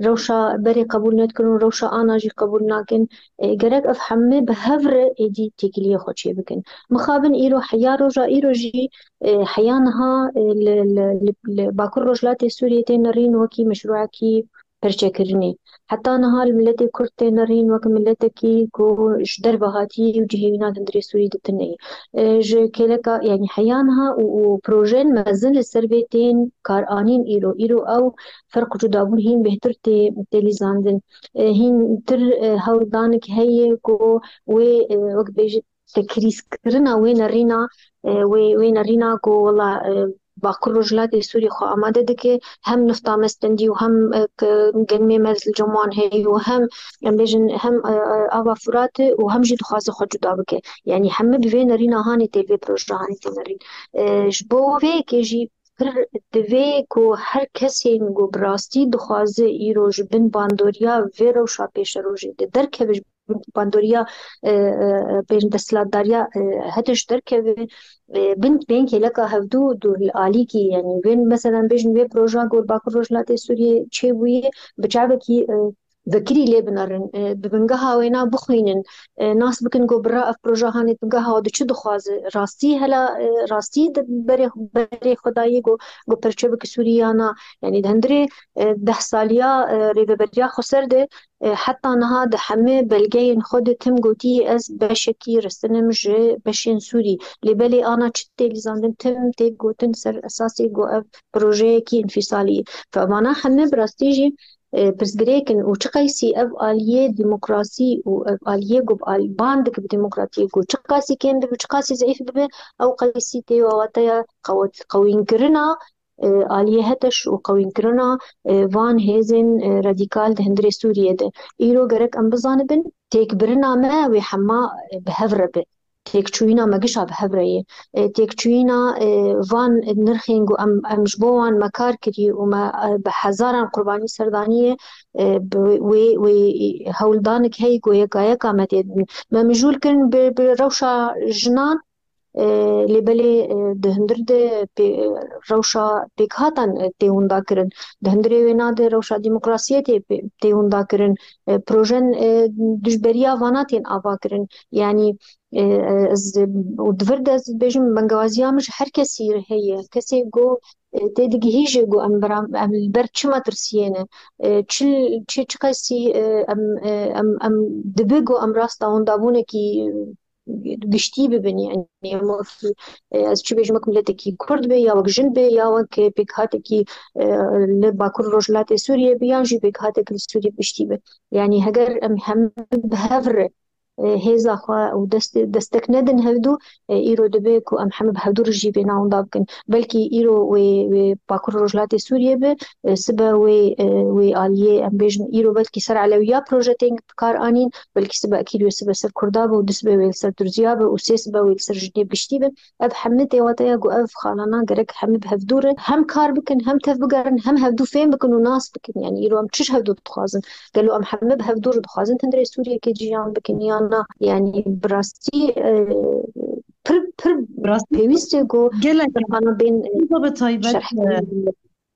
rewşa berê qebûl nedikin û rewşa ana jî qebûl nakin, e, gerek ev hemî bi hev re êdî têkiliyê xwe çêbikin. Mixabin îro heya roja îro jî, e, heya niha, e, li, li, li, li Bakur Rojhilatê Sûriyê tê nerîn wekî meşrûekî perçekirinê. Heta niha li miletê Kurd tê nerîn wek miletekî ku ji derve hatî û cihê wî na di hundirê Sûrî de tune ye. E, ji kêleka, yani heya niha û, û projeyên mezin li ser vê tên karanîn îro. Îro ew ferq û cudabûn hîn bêhtir tê, tê lîzandin. E, hîn tir, e, hewldanek heye ku wê, e, wek bêjit, tekrîzkirina wê nerîna, e, wê, wê nerîna ku wela, e, Bakur Rojhilatê Sûrî xwe amade dike, hem nifta me stendî û hem, e, ke genimê me li cem wan heye û hem, em bêjin, hem, e, e, ava Furat e û hem jî dixwaze xwe cuda bike. Yani hemî bi vê nerîna hanê tê, vê proje hanê tê nerîn. E, ji bo vê yekê jî pir divê ku her kesên ku bi rastî dixwaze îro ji bin bandoriya vê rewşa pêşerojê de derkeve, ji bin bandoriya, e, e, pêş desthilatdariya, e, hete ji derkeve, e, bin, bên kêleka hevdû dûr li alîkî, yani bên, meselan, bêjin vê proja ku li Bakur Rojhilatê Sûriyê çêbûye, bi çavekî, e, vekirî lê binerin, e, bi bingeha wêna bixwînin, e, nas bikin ku bira ev proje hanê bingeha di çi dixwaze, rastî hela, e, rastî di berê, berê xwe dayê ku, ku perçe bike Sûrî ya na. Yanî di hundirê, e, deh saliya, e, rêveberiya xweser de, e, heta niha di hemî belgeyên xwe de tim gotî ez beşekî restinim ji beşên Sûrî. Lê belê ana çi tê lîzandin tim tê gotin ser esasê ku ev projeyekî înfîsalî ye. Fe vana hemî bi rastî jî, e, pirsgirêk in û çi qeysî ev aliyê demokrasî û ev aliyê ku bi al-, ban dike bi demokratiyê ku çi qasî kêm dibe, çi qasî zeîf bibe, ew qeysî tê wateya qewet-, qewînkirina, e, aliyê HTŞ û qewînkirina, e, van hêzên, e, radîkal di hundirê Sûriyê de. Îro gerek em bizanibin, têkbirina me wê hema, e, bi hev re be. Têkçûyîna me gişa bi hev re ye. E, têkçûyîna, e, van nirxên ku em, em ji bo wan me kar kirî û me, e, bi hezaran qurbanî ser danî ye, e, bi wê, wê hewldanik heyî ku yeka yeka me tê dibin. Me mijûl kirin bi, bi rewşa jinan, e, lê belê, e, di hundir de pê-, rewşa pêkhatan, e, tê winda kirin. Di hundirê wêna de rewşa demokrasiyê tê pê-, tê winda kirin. E, projen, e, dijberiya vana tên ava kirin. Yanî, e, e, ez, û di vir de ez dibêjim, bengewaziya min ji her kesî re heye. Kesê ku, e, tê digihîje ku em bira-, em li ber çi metirsiyê ne. E, çi, çi, çi qeysî, e, em, e, em, em dibe ku em rasta wendabûnekî giştî bibin, yanî em wekî, e, ez çi bêjim, wek miletekî Kurd be, ya wek jin be, ya wek pêkhatekî, e, li Bakur Rojhilatê Sûriyê be, yan jî pêkhatek li Sûriyê bi giştî be. Yanî heger em hemî bi hev re, e, hêza xwe û dest-, destek nedin hevdû, e, îro dibe ku em hemî bi hevdû re jî vê navenda bikin. Belkî îro wê, wê Bakur Rojhilatê Sûriyê be, e, sibe wê, e, wê aliyê, em bêjin, îro belkî ser Elewiya proje tên bi kar anîn, belkî sibe ekî wê sibe ser Kurda be û du sibe wê li ser Durziya be û sê sibe wê li ser jinê bi giştî be. Ev hemî tê wateya ku ev xalana gerek hemî bi hevdû re hem kar bikin, hem tev bigerin, hem hevdû fêm bikin û nas bikin. Yanî îro em çi ji hevdû dixwazin? Gelo em hemî bi hevdû re dixwazin hundirê Sûriyekê ciyan bikin yan na? Yanî bi rastî, e, pir, pir Bi rastî pêwîst e ku gelek ana bên, e, bi taybet, şerh e,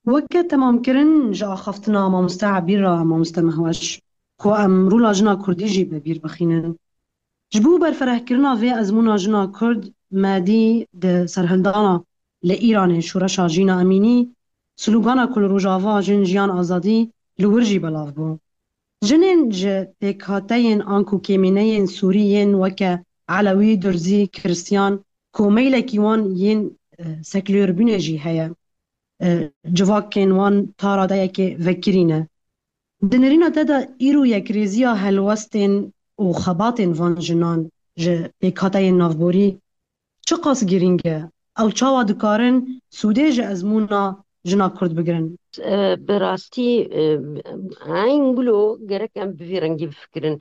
weke temamkirin ji axaftina mamoste Ebîr re mamoste Mehweş, ku em rola jina Kurdî jî bi bîr bixînin. Ji bo berferehkirina vê ezmûna jina Kurd me dî di serhildana li Îranê Şoreşa Jîna Emînî, slogana ku li Rojava jin, jiyan, azadî li wir jî belav bû. Jinên ji pêkhateyên anku kêmîneyên Sûrî yên weke Elewî, Durzî, Kiristiyan, ku meylekî wan yên, e, sekulêrbûnê jî heye, e, civakên wan ta radeyekê vekirî ne. Di nêrîna te de îro yekrêziya helwestên û xebatên van jinan ji pêkhateyên navborî çiqas girîng e? Ew çawa dikarin sûdê ji ezmûna jina Kurd bigirin? E, bi rastî, e, eyn gulo gerek em bi vî rengî bifikirin.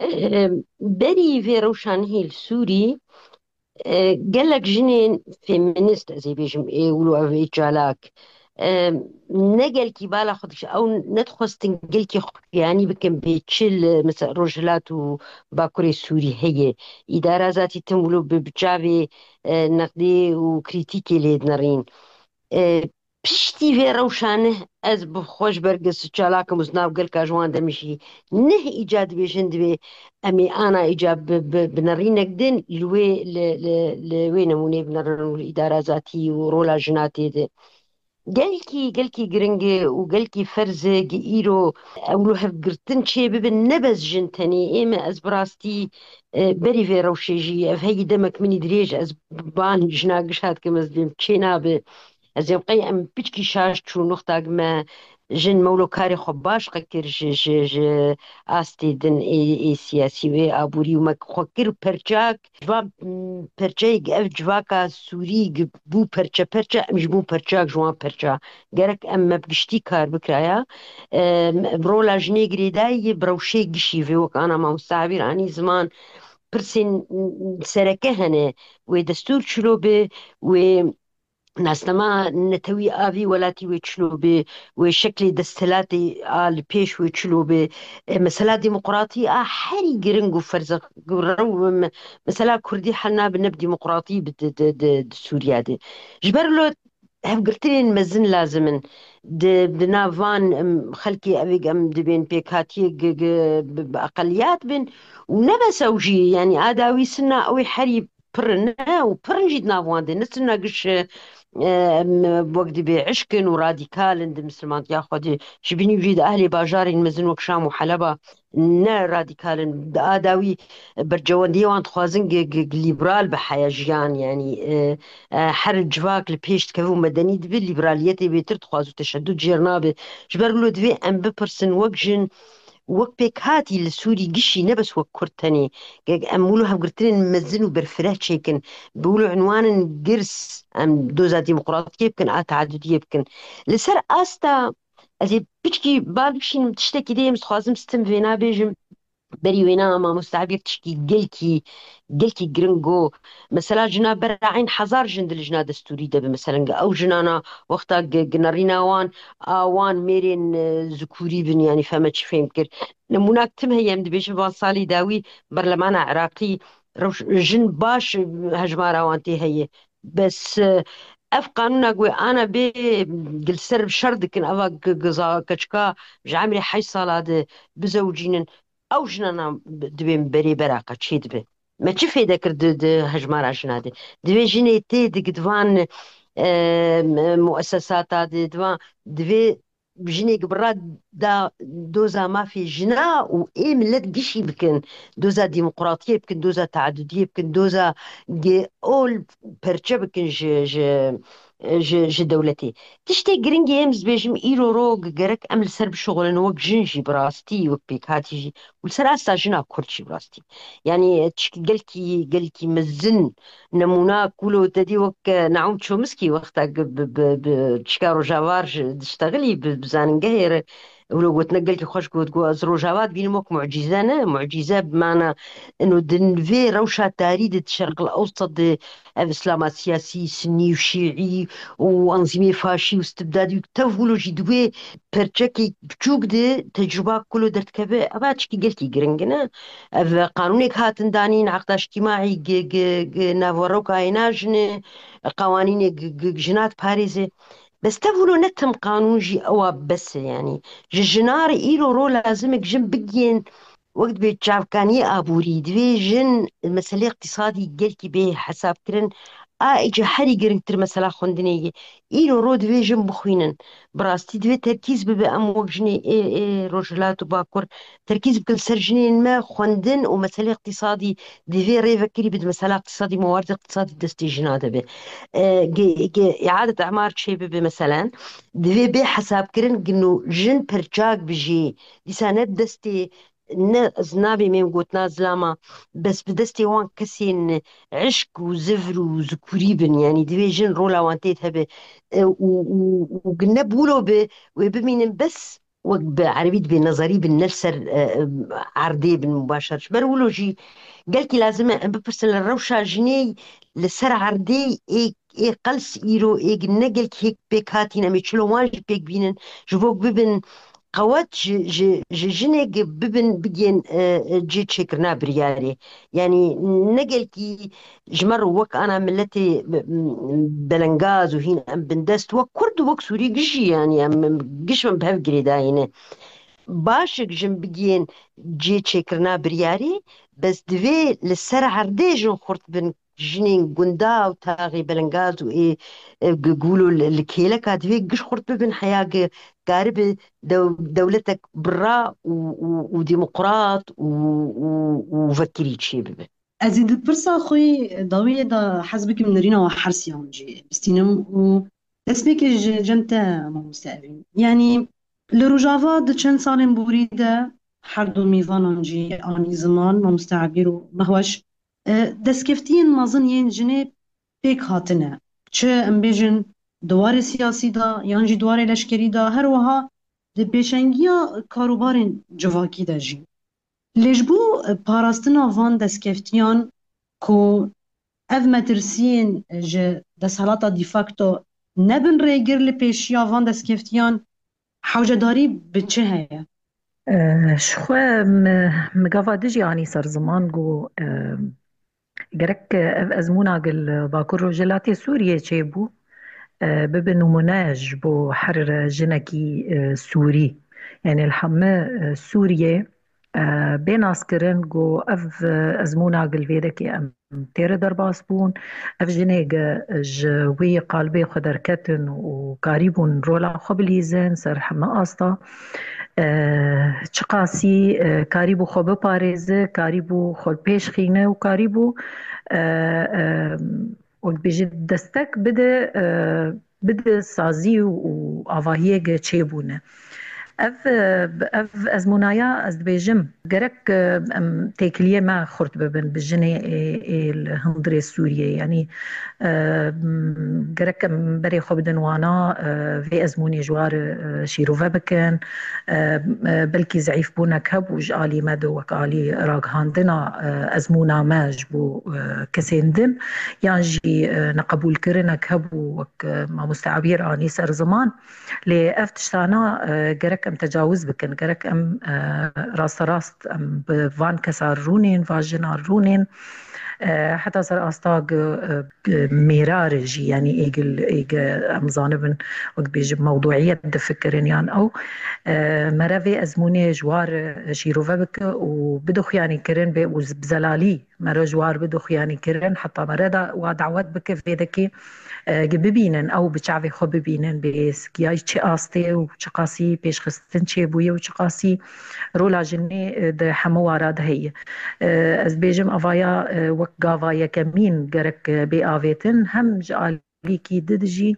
E, berî vê rewşanehî li Sûrî, e, gelek jinên feminîst, ez ê bêjim, ê wilo ev ê çalak, e, ne gelkî bala xwe dikişin, ew nedixwestin gelkî xwe giyanî bikin bê çi li, mesela, Rojhilat û Bakurê Sûrî heye. Îdara zatî tim wilo bi, bi çavê, e, neqdê û krîtîkê lê dinerîn. E, Piştî vê rewşanê ez bi xwe ji ber gi-, çalak im û ji nav gelka ji wan de min jî neh îca dibêjin, divê em ê ana îca bi, bi, bi nerînek din li wê, li, li, li wê nemûnê binerin û li îdara zatî û rola jina tê de. Gelkî, gelkî giring e û gelkî ferz e gi îro ew li hevgirtin çê bibin, ne bes jin tenê. Ê me, ez bi rastî, e, berî vê rewşê jî, ev heyî demek min î dirêj, ez ban jina giş hat kim, ez dibêm çê nabe. Ez ê qey em piçkî şaş çû nuxtak me, jin mewlo karê xwe baş qe kir ji, ji, ji astê din ê, ê siyasî wê aborî û me xwe kir perçak. Ji van, m, perçeyek ev civaka Sûrî gi-, bû perçe perçe, em ji bû perçak ji wan perça. Gerek em me bi giştî kar bikiraya. Em, em rola jinê girêdayî ye bi rewşê gişî vê wek ana mamoste Ebîr anî ziman pirsên, m, sereke hene. Wê destûr çilo be, wê nasnama netewî a vî welatî wê çilo be, wê şeklê desthilatê a li pêş wê çilo be. E, mesela demokratî a herî giring û ferz e, rew-, me-, mesela Kurdî hel nabe ne bi demokratî bi di, di, di, di Sûriye de. Ji ber lo hevgirtinên mezin lazim in. Di, di nav van, em, xelkê evê em dibên pêkhatiyê gi-, gi-, bi, bi eqeliyat bin û ne bes ew jî, yanî a dawî sina ew ê herî pir in û pir in jî di nav wan de, ne sina giş, e, em, wek dibê eşk in û radîkal in di misilmantiya xwe de. Ji binî jî di ehlê bajarên mezin wek Şam û Heleba ne radîkal in. Di a dawî bercewendiyê wan dixwazin gi-, gi-, gi-, lîberal be heya jiyan, yanî, e, e, her civak li pêş dikeve û medenî dibe, lîberaliyetê bêtir dixwaz û teşedud jêr nabe. Ji ber wilo divê em bipirsin, wek jin, wek pêkhatî li Sûrî gişî, ne bes wek Kurd tenê. Ge-, em wilo hevgirtinên mezin û berfireh çêkin, bi wilo unwanin girs em doza demokratiyê bikin, a teadudiyê bikin. Li ser asta Ez ê piçkî bal bişînim tiştekî dê, em dixwazim stim vêna bêjim. Berî wêna mamoste Ebîr tişkî gelkî, gelkî giring got. Mesela jina bera eyn hezar jin di lijna destûrî de bi. Mesela ew jinana wexta gi-, ginerîna wan, a wan mêrên, e, zikûrî bin, yanî feme çi fêm kir. Nimûnak tim heye, em dibêjin van salî dawî berlemana Iraqî rewş-, jin baş, e, hejmara wan tê heye. Bes, e, ev qanûna ku ana bê, li ser şer dikin, eva gi-, giza keçika ji emrê heşt sala de bizewicînin, ew jinana dibên berê bera qeçê dibe. Me çi fêde kir di, di hejmara jina de? Divê jinê tê di gidvan, e, muesesata de, divan, divê jinê ki bi rad da doza mafê jina û ê millet gişî bikin, doza demokratiyê bikin, doza teadudiyê bikin, doza ge-, ol perçe bikin ji, ji, ji, ji dewletê. Tiştê giringî em dibêjim îro ro gerek em li ser bişuxulin wek jin jî bi rastî, wek pêkhatî jî û li ser asta jina Kurd jî bi rastî. Yanî tişkî gelkî, gelkî mezin Nemûna kulo te dî wek, e, Naûm Çomskî wexta bi, bi, bi, bi çika Rojava ji diştexilî bi, bi zanîngehê re wilo gotine gelkî xweş got, got, ez Rojava dibînim wek mucîze ne, mucîze bi mana ino din vê rewşa tarî de di Şerqil Ewsat de ev îslama siyasî, sinnî û şîî û anzîmê faşî û stibdadî û tev wilo jî di wê perçekê biçûk de tecrûba kulo derdikeve, eva çikî gelkî giring in e. Ev qanûnek hatin danîn, eqda îctîmaî gi, gi, gi naveroka êna jinê, qewanînê gi, gi jina diparêze. Bes tev wilo ne tim qanûn jî ewa bes e, yanî ji jina re îro ro lazim e jin bigihên wek dibê çavkaniyê aborî, divê jin meselê îqtîsadî gelkî bê hesabkirin. A êca herî giringtir mesela xwendinê ye. Îro ro divê jin bixwînin. Bi rastî divê terkîz bibe, em wek jinê ê, ê Rojhilat û Bakur terkîz bikin ser jinên me, xwendin û meselê îqtîsadî divê rêvekirî bi, di mesela îqtîsadî, mewardê îqtîsadî destê jina de be. E, ge-, ge-, îadet emar çê bibe meselen, divê bê hesabkirin gino jin perçak bijî. Dîsa ne destê ne, ez nabêm êm gotina zilama, bes bi destê wan kesên eşk û zivr û zikurî bin, yanî divê jin rola wan tê de hebe, e, û, û, û ne bûlo bi, wê bimînin bes wek bi erebî dibê nezerî bin, ne li ser, e, erdê bin mubaşer. Ji ber wilo jî gelkî lazim e em bipirsin li rewşa jinê li ser erdê ê, ê qels îro ê ne gelkî hêk pêk hatîn, em ê çilo wan jî pêk bînin, ji bo bibin qewet ji, ji, ji jinê gi bibin bigên, e, e, cê çêkirina biryarê. Yanî ne gelkî ji me re wek ana miletê, m-, m-, belengaz û hîn em bindest, wek Kurd û wek Sûrî gişî, yanî em, em giş em bi hev girêdayî ne. Baş e jin bigihên cê çêkirina biryarê, bes divê li ser erdê jin xurt bin, jinên gunda û taxê belengaz û ê, e, gu-, gulo li, li kêleka divê giş xurt bibin heya ge karibe dew-, dewletek birra û, û, û demokrat û, û, û vekirî çê bibe. Ez ê di pirsa xwe yê dawiyê de hez bikim nirîna we hersiyan jî bistînim û destpêkê ji cem te mamoste Evîn. Yanî li Rojava di çend salên borî de her du mêvanan jî anî ziman, mamoste Ebîr û Mehweş, e, destkeftiyên mezin yên jinê pêk hatine. Çi em bêjin di warê siyasî de yan jî di warê leşkerî de, her wiha di pêşengiya karûbarên civakî de jî. Lê ji bo parastina van destkeftiyan ku ev metirsiyên ji desthilata de facto nebin rêgir li pêşiya van destkeftiyan, hewcedarî bi çi heye? Eh, ji xwe mi, mi gava dijî anî ser ziman ku, eh, gerek ev ezmûna li Bakur Rojhilatê Sûriyê çêbû. e, bibe nimûne ji bo her jinekî, e, Sûrî. Yanî li hemî, e, Sûriyê, e, bê naskirin ku ev, e, ezmûna gilvêdekê em têre derbas bûn. Ev jinê ge ji wî qalbê xwe derketin û karîbûn rola xwe bilîzin ser hemî asta. E, çiqasî, e, karîbû xwe biparêze, karîbû xwe pêş xîne û karîbû, e, e, wek bêjî destek bide, e, bide sazî û, û avahiyê ge çêbûne. Ev, e, ev ezmûnaya ez dibêjim, gerek, e, em têkiliyê me xurt bibin bi jinê ê, ê li hundirê Sûriyê. Yanî, e, m, gerek em berê xwe bidin wana, e, vê ezmûnê ji war, e, şîrove bikin. E, e, belkî zeîfbûnek hebû ji alî me de wek alî ragihandina, e, ezmûna me ji bo, e, kesên din, yan jî, e, neqebûlkirinek hebû wek, e, mamoste Ebîr anî ser ziman. Lê ev tiştana, e, gerek em tecawiz bikin, gerek em, e, rasterast em bi van kesa rûnên, van jina rûnên, e, heta ser asta gi, e, mêrar jî, yanî êgil, êge em zanibin, wek bêjim, mewduiyet difikirin yan ew, e, mere vê ezmûnê ji war, e, şîrove bike û bide xuyanî kirin bê û bi zelalî mere ji war bide xuyanî kirin, heta mere da wa dawet bike vê dekê, e, gi bibînin, ew bi çavê xwe bibînin, bê sikiyayî çi astê û çiqasî pêşxistin çêbûye û çiqasî rola jinê, e, di hemû wara de heye. E, ez bêjim, avaya, e, wek gava yekemîn gerek, e, bê avêtin, hem ji alîkî di dijî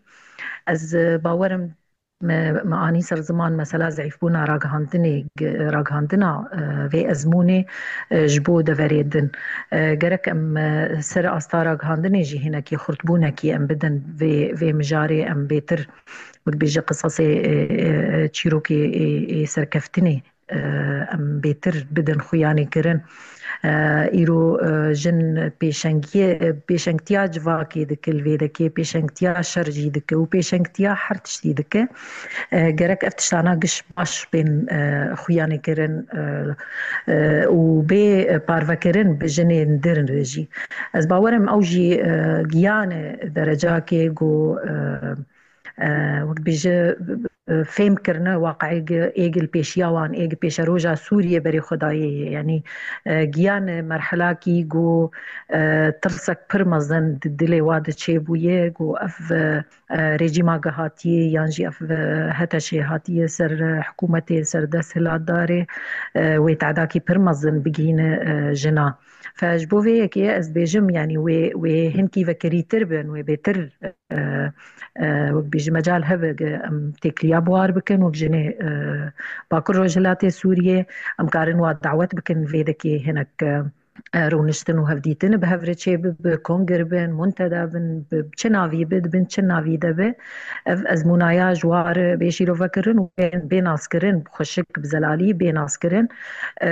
ez, e, bawerim me, me anî ser ziman mesela zeîfbûna ragihandinê, ge-, ragihandina, e, vê ezmûnê, e, ji bo deverê din. E, gerek em, e, ser asta ragihandinê jî hinekî xurtbûnekî em bidin vê, vê mijarê em bêtir, wek bêje qisasê, e, e, çîrokê ê, ê serkeftinê, e, em bêtir bidin xuyanî kirin. E, îro, e, jin pêşengiyê, pêşengtiya civakê dike, li vê dekê pêşengtiya şer jî dike û pêşengtiya her tiştî dike. E, gerek ev tiştana giş baş bên, e, xuyanî kirin, e, e, û bê parvekirin bi jinên din re jî. Ez bawerim ew jî, e, giyane derecakê ku, e, e, wek bêje, e, fêm kirine waqiê êgil pêşiya wan, êgil pêşeroja Sûriyê berê xwe dayê ye. Yanî, e, giyane merhelakî ku, e, tirsek pir mezin di dilê wa de çêbûye, ku ev, e, e, rejîma ge hatiye yan jî ev, e, HTŞê hatiye ser, e, hikûmetê ser dest hilatdarê, e, wê tadakî pir mezin bigihîne, e, jina. Fe ji bo vê yekê ez dibêjim, yanî wê, wê hinkî vekirîtir bin, wê bêtir, e, e, wek bêjî mecal hebe ge em têkiliya bi war bikin, wek jinê, e, Bakur Rojhilatê Sûriyê em karin wa dawet bikin vê dekê hinek, e, e, rûniştin û hevdîtin bi hev re çê bi, bi kongir bin, munteda bin, bi çi navî bi, di bin çi navî de bi. Ev ezmûnaya ji war bê şîrove kirin û bê, bê naskirin, xweşik bi zelalî bê naskirin. E,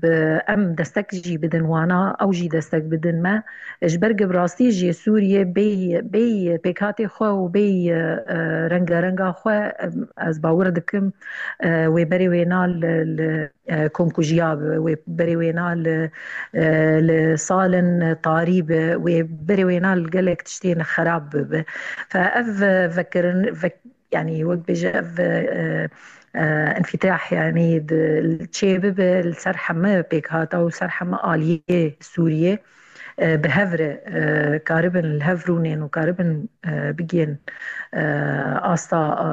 bi em destek jî bidin wana, ew jî destek bidin me. Ji ber ku bi rastî jî Sûriye bêy, bêy pêkhatê xwe û bêy, e, rengarenga xwe, em, ez bawer dikim, e, wê berê wêna li, li, e, komkujiya bi, wê berê wêna li, e, li salên tarî bi, wê berê wêna li gelek tiştên xerab bibe. Fe ev, e, vekirin, vek-, yanî wek bêje ev, e, e, enfîtah, yanî di, çê bibe li ser heme pêkhata û ser heme aliyê Sûriyê, e, bi hev re, e, karibin li hev rûnên û karibin, e, bigihên, e, asta, e,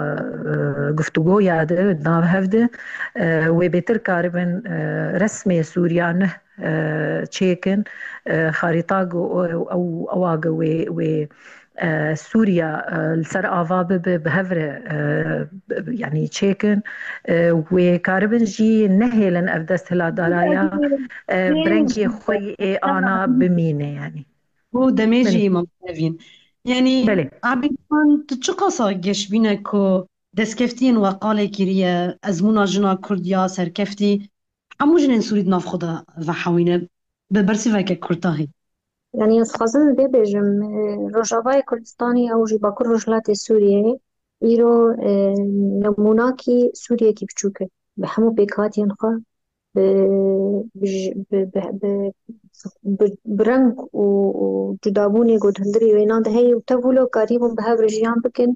e, guftûgoya de, di nav hev de, e, wê bêtir karibin, e, resmê Sûriya neh, e, çêkin, e, xarîta gu-, ew, ew, ewa ge wê, wê, e, Sûriya, e, li ser ava bibe, bi hev re, e, yanî çêkin, e, wê karibin jî nehêlin ev desthilatdaraya, e, bi rengê xwe yê ana bimîne, yanî. Û demê jî Belê. Îmam Evîn. Yanî, Belê. Abî Xan, tu çiqasa geşbîne ku destkeftiyên we qalê kiriye, ezmûna jina Kurd ya serkeftî, hemû jinên Sûrî di nav xwe de vehewîne, bi bersîveke kurtahî? Yanî ez dixwazim vê bêjim, e, Rojavayê Kurdistanê ew jî Bakur Rojhilatê Sûriyeyê îro, e, nemûnakî Sûriyekî biçûk e. Bi hemû pêkhatiyên xwe, bi, bi, bi, bi, bi bi, bi reng û, û cudabûnê ku di hundirê wêna de heye û tev wilo karîbûn bi hev re jiyan bikin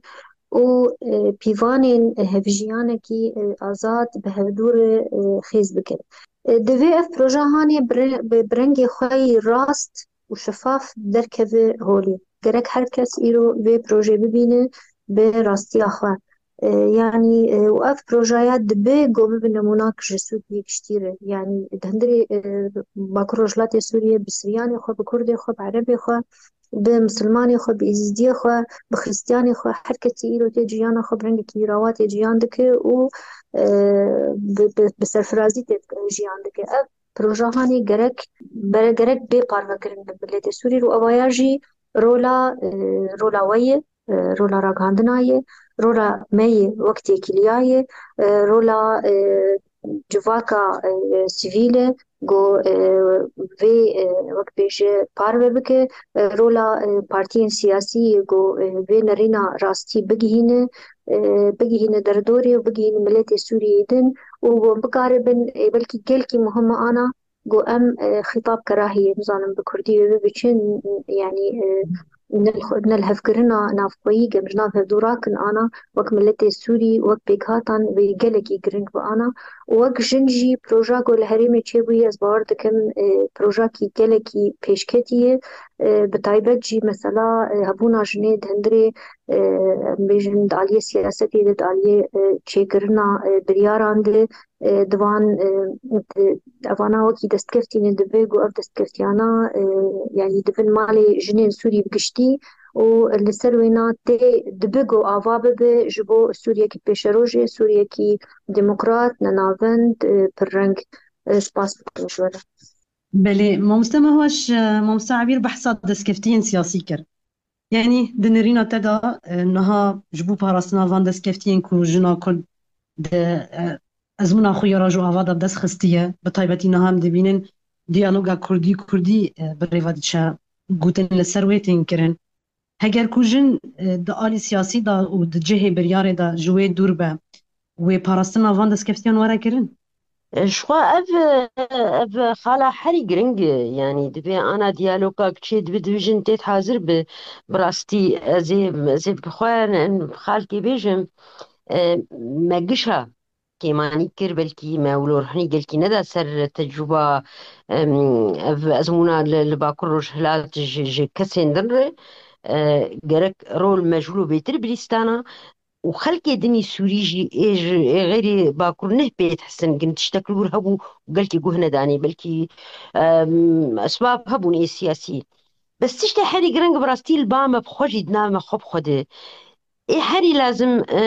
û, e, pîvanên, e, hevjiyanekî, e, azad bi hevdû re, e, xêz bikin. E, divê ev proje hanê bi re-, bi, bi rengê xwe yî rast û şefaf derkeve holê. Gerek her kes îro vê projê bibîne bi rastiya xwe. E, yanî, e, û ev projeya dibe ku bibe nemûnak ji Sûriyê giştî re. Yanî di hundirê, e, Bakur Rojhilatê Sûriyê bi Siryanê xwe, bi Kurdê xwe, bi Erebê xwe, bi Misilmanê xwe, bi Êzîdiyê xwe, bi Xristiyanê xwe, her kesî îro tê ciyana xwe bi rengekî rawa tê ciyan dike û, e, bi, bi, bi serfirazî tê jiyan dike. Ev proje hanê gerek, bere gerek bê parvekirin bi miletê Sûrî û evaya jî rola, e, rola we ye, e, rola ragihandina ye, rola me ye wek têkiliya ye, e, rola, e, civaka, e, sivîl e, ku, e, vê, e, wek bêje parve bike, e, rola, e, partiyên siyasî ye ku, e, vê nerîna rastî bigihîne, e, bigihîne derdorê û bigihîne miletê Sûriyeyê din û ku bikaribin, e, belkî gelkî muhim e ana ku em, e, xîtab kerahiyê, nizanim bi kurdî wê bibe çi, n-, n-, yanî, e, nel-, nelhevkirina navxweyî, ku em ji nav hevdû rakin ana, wek miletê Sûrî, wek pêkhatan vê gelekî giring bi ana. Û wek jin jî proja ku li herêmê çêbûyî, ez bawer dikim, e, projakî gelekî pêşketî ye. E, bi taybet jî mesela, e, hebûna jinê di hundirê, e, em bêjin di aliyê siyasetê de, di aliyê, e, çêkirina, e, biryaran de, e, di van, e, di, evana wekî destkeftî ne, dibe ku ev destkeftiyana, e, yanî di bin malê jinên Sûrî bi giştî û li ser wêna tê dibe ku ava bibe ji bo Sûriyekî pêşerojê, Sûriyekî demokrat, nenavend, e, pirreng. E, spas dikim ji we re. Belê, mamoste Mehweş, e, mamoste Ebîr behsa destkeftiyên siyasî kir. Yanî di nêrîna te de, e, niha ji bo parastina van destkeftiyên ku jina Kurd di, e, ezmûna xwe ya roj û ava de bi dest xistiye, bi taybetî niha em dibînin diyaloga Kurdî-Kurdî, e, bi rêve diçe, gotin li ser wê tên kirin. Heger ku jin, e, di alî siyasî de û di cihê biryarê de ji wê dûr be, wê parastina van destkeftiyên were kirin? E, ji xwe ev, ev xala herî giring e, yanî divê ana diyaloga çê dibe, divê jin têt hazir bi. Bi rastî ez ê, ez ê bi xwe xalkê bêjim, e, me gişa kêmanî kir, belkî me wilo ruhnî gelkî neda ser tecrûba, em, ev ezmûna li, li Bakur Rojhilat ji, ji kesên din re, e, gerek rol me ji wilo bêtir bilîstana û xelkê dinî Sûrî jî ê ji, ê xeyrî Bakur neh pê dihisin, gin tiştek li wir hebû û gelkî guh nedanî, belkî, em, esbab hebûn ê siyasî. Bes tiştê herî giring bi rastî li ba me bi xwe jî di nav me xwe bi xwe de. Ê herî lazim, e,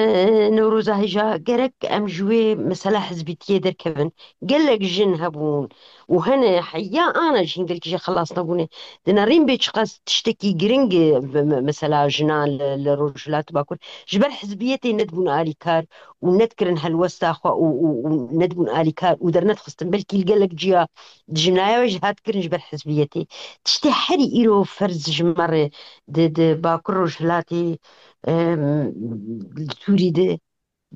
Newroza hêja gerek em ji wê mesela hizbîtiyê derkevin. Gelek jin hebûn û hene heya ana jî hin gelkî jê xelas nebûne. Di nerîn bê çiqas tiştekî giring e, me-, me-, mesela jinan li, li Rojhilat Bakur ji ber hizbiyetê nedibûn alîkar û nedikirin helwesta xwe û, û, û nedibûn alîkar û dernedixistin. Belkî li gelek ciya di jimnaya we jî hat kirin ji ber hizbiyetê. Tiştê herî îro ferz ji me re di, di Bakur Rojhilatê, em, li Sûrî de,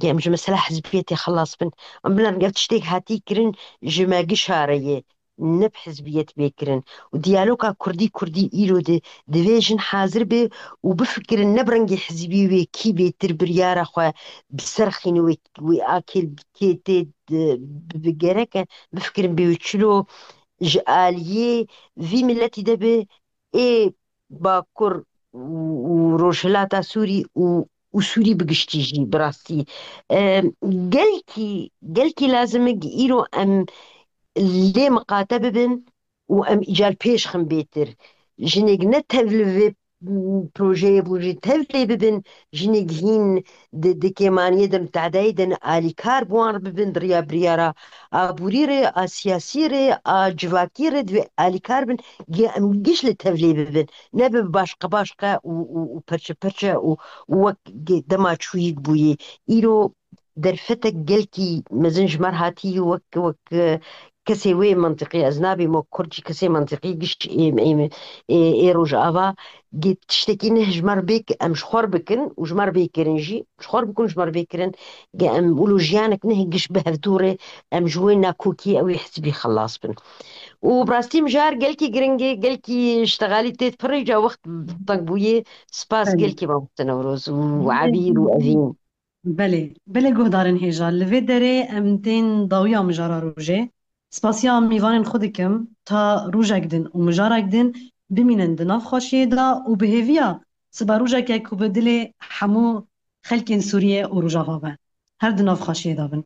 em ji mesela hizbiyetê xelas bin. Em bilan ev tiştêk hatî kirin ji me gişa re ye, ne bi hizbiyet bê kirin. Û diyaloga Kurdî-Kurdî îro de divê jin hazir be û bifikirin ne bi rengê hizbî wê kî bêtir biryara xwe bi ser xînê wê, wê akê kê tê di, bi, bi gerek e bifikirin bê wê çilo ji aliyê vî miletî de be ê Bakur û, û Rojhilata Sûrî û, û Sûrî bi giştî jî bi rastî. E, gelkî, gelkî lazim e îro em lê miqate bibin û em îcar pêş xin bêtir. Jinêk ne tevli vê, m, projeyê bû jî tevlê bibin, jinêk hîn di, di kêmaniyê de, di tehedayê de ne alîkar bi wan re bibin, di riya biryara aborî re, a siyasî re, a civakî re divê alîkar bin, gê em giş li tevlê bibin. Nebe başqe başqe û, û, û perçe perçe û, û wek gê dema çûyîk bûyî. Îro derfetek gelkî mezin ji me re hatî wek, wek, e, kesê wê mentiqî, ez nabî mo Kurd jî kesê mentiqî giş ê, ê, ê, ê Rojava, gê tiştekî neh ji me re bêk, em ji xwe re bikin û ji me re bê kirin jî, ji xwe re bikin û ji me re bê kirin, gê em wilo jiyanek neh giş bi hevdû re, em ji wê nakokî ew ê hizbî xelas bin. Û bi rastî mijar gelkî giring e, gelkî ştexalî tê pirî ca wext teng bûye. Spas Belê. Gelkî mamoste Newroz û Belê. Ebîr û Evîn. Belê, belê guhdarên hêja, li vê derê em tên dawiya mijara rojê. Spasiya mîvanên xwe dikim, ta rojek din û mijarek din bimînin di nav xweşiyê de û bi hêviya sibe rojeke ku bi dilê hemû xelkên Sûriyê û Rojava be. Her di nav xweşiyê de bin.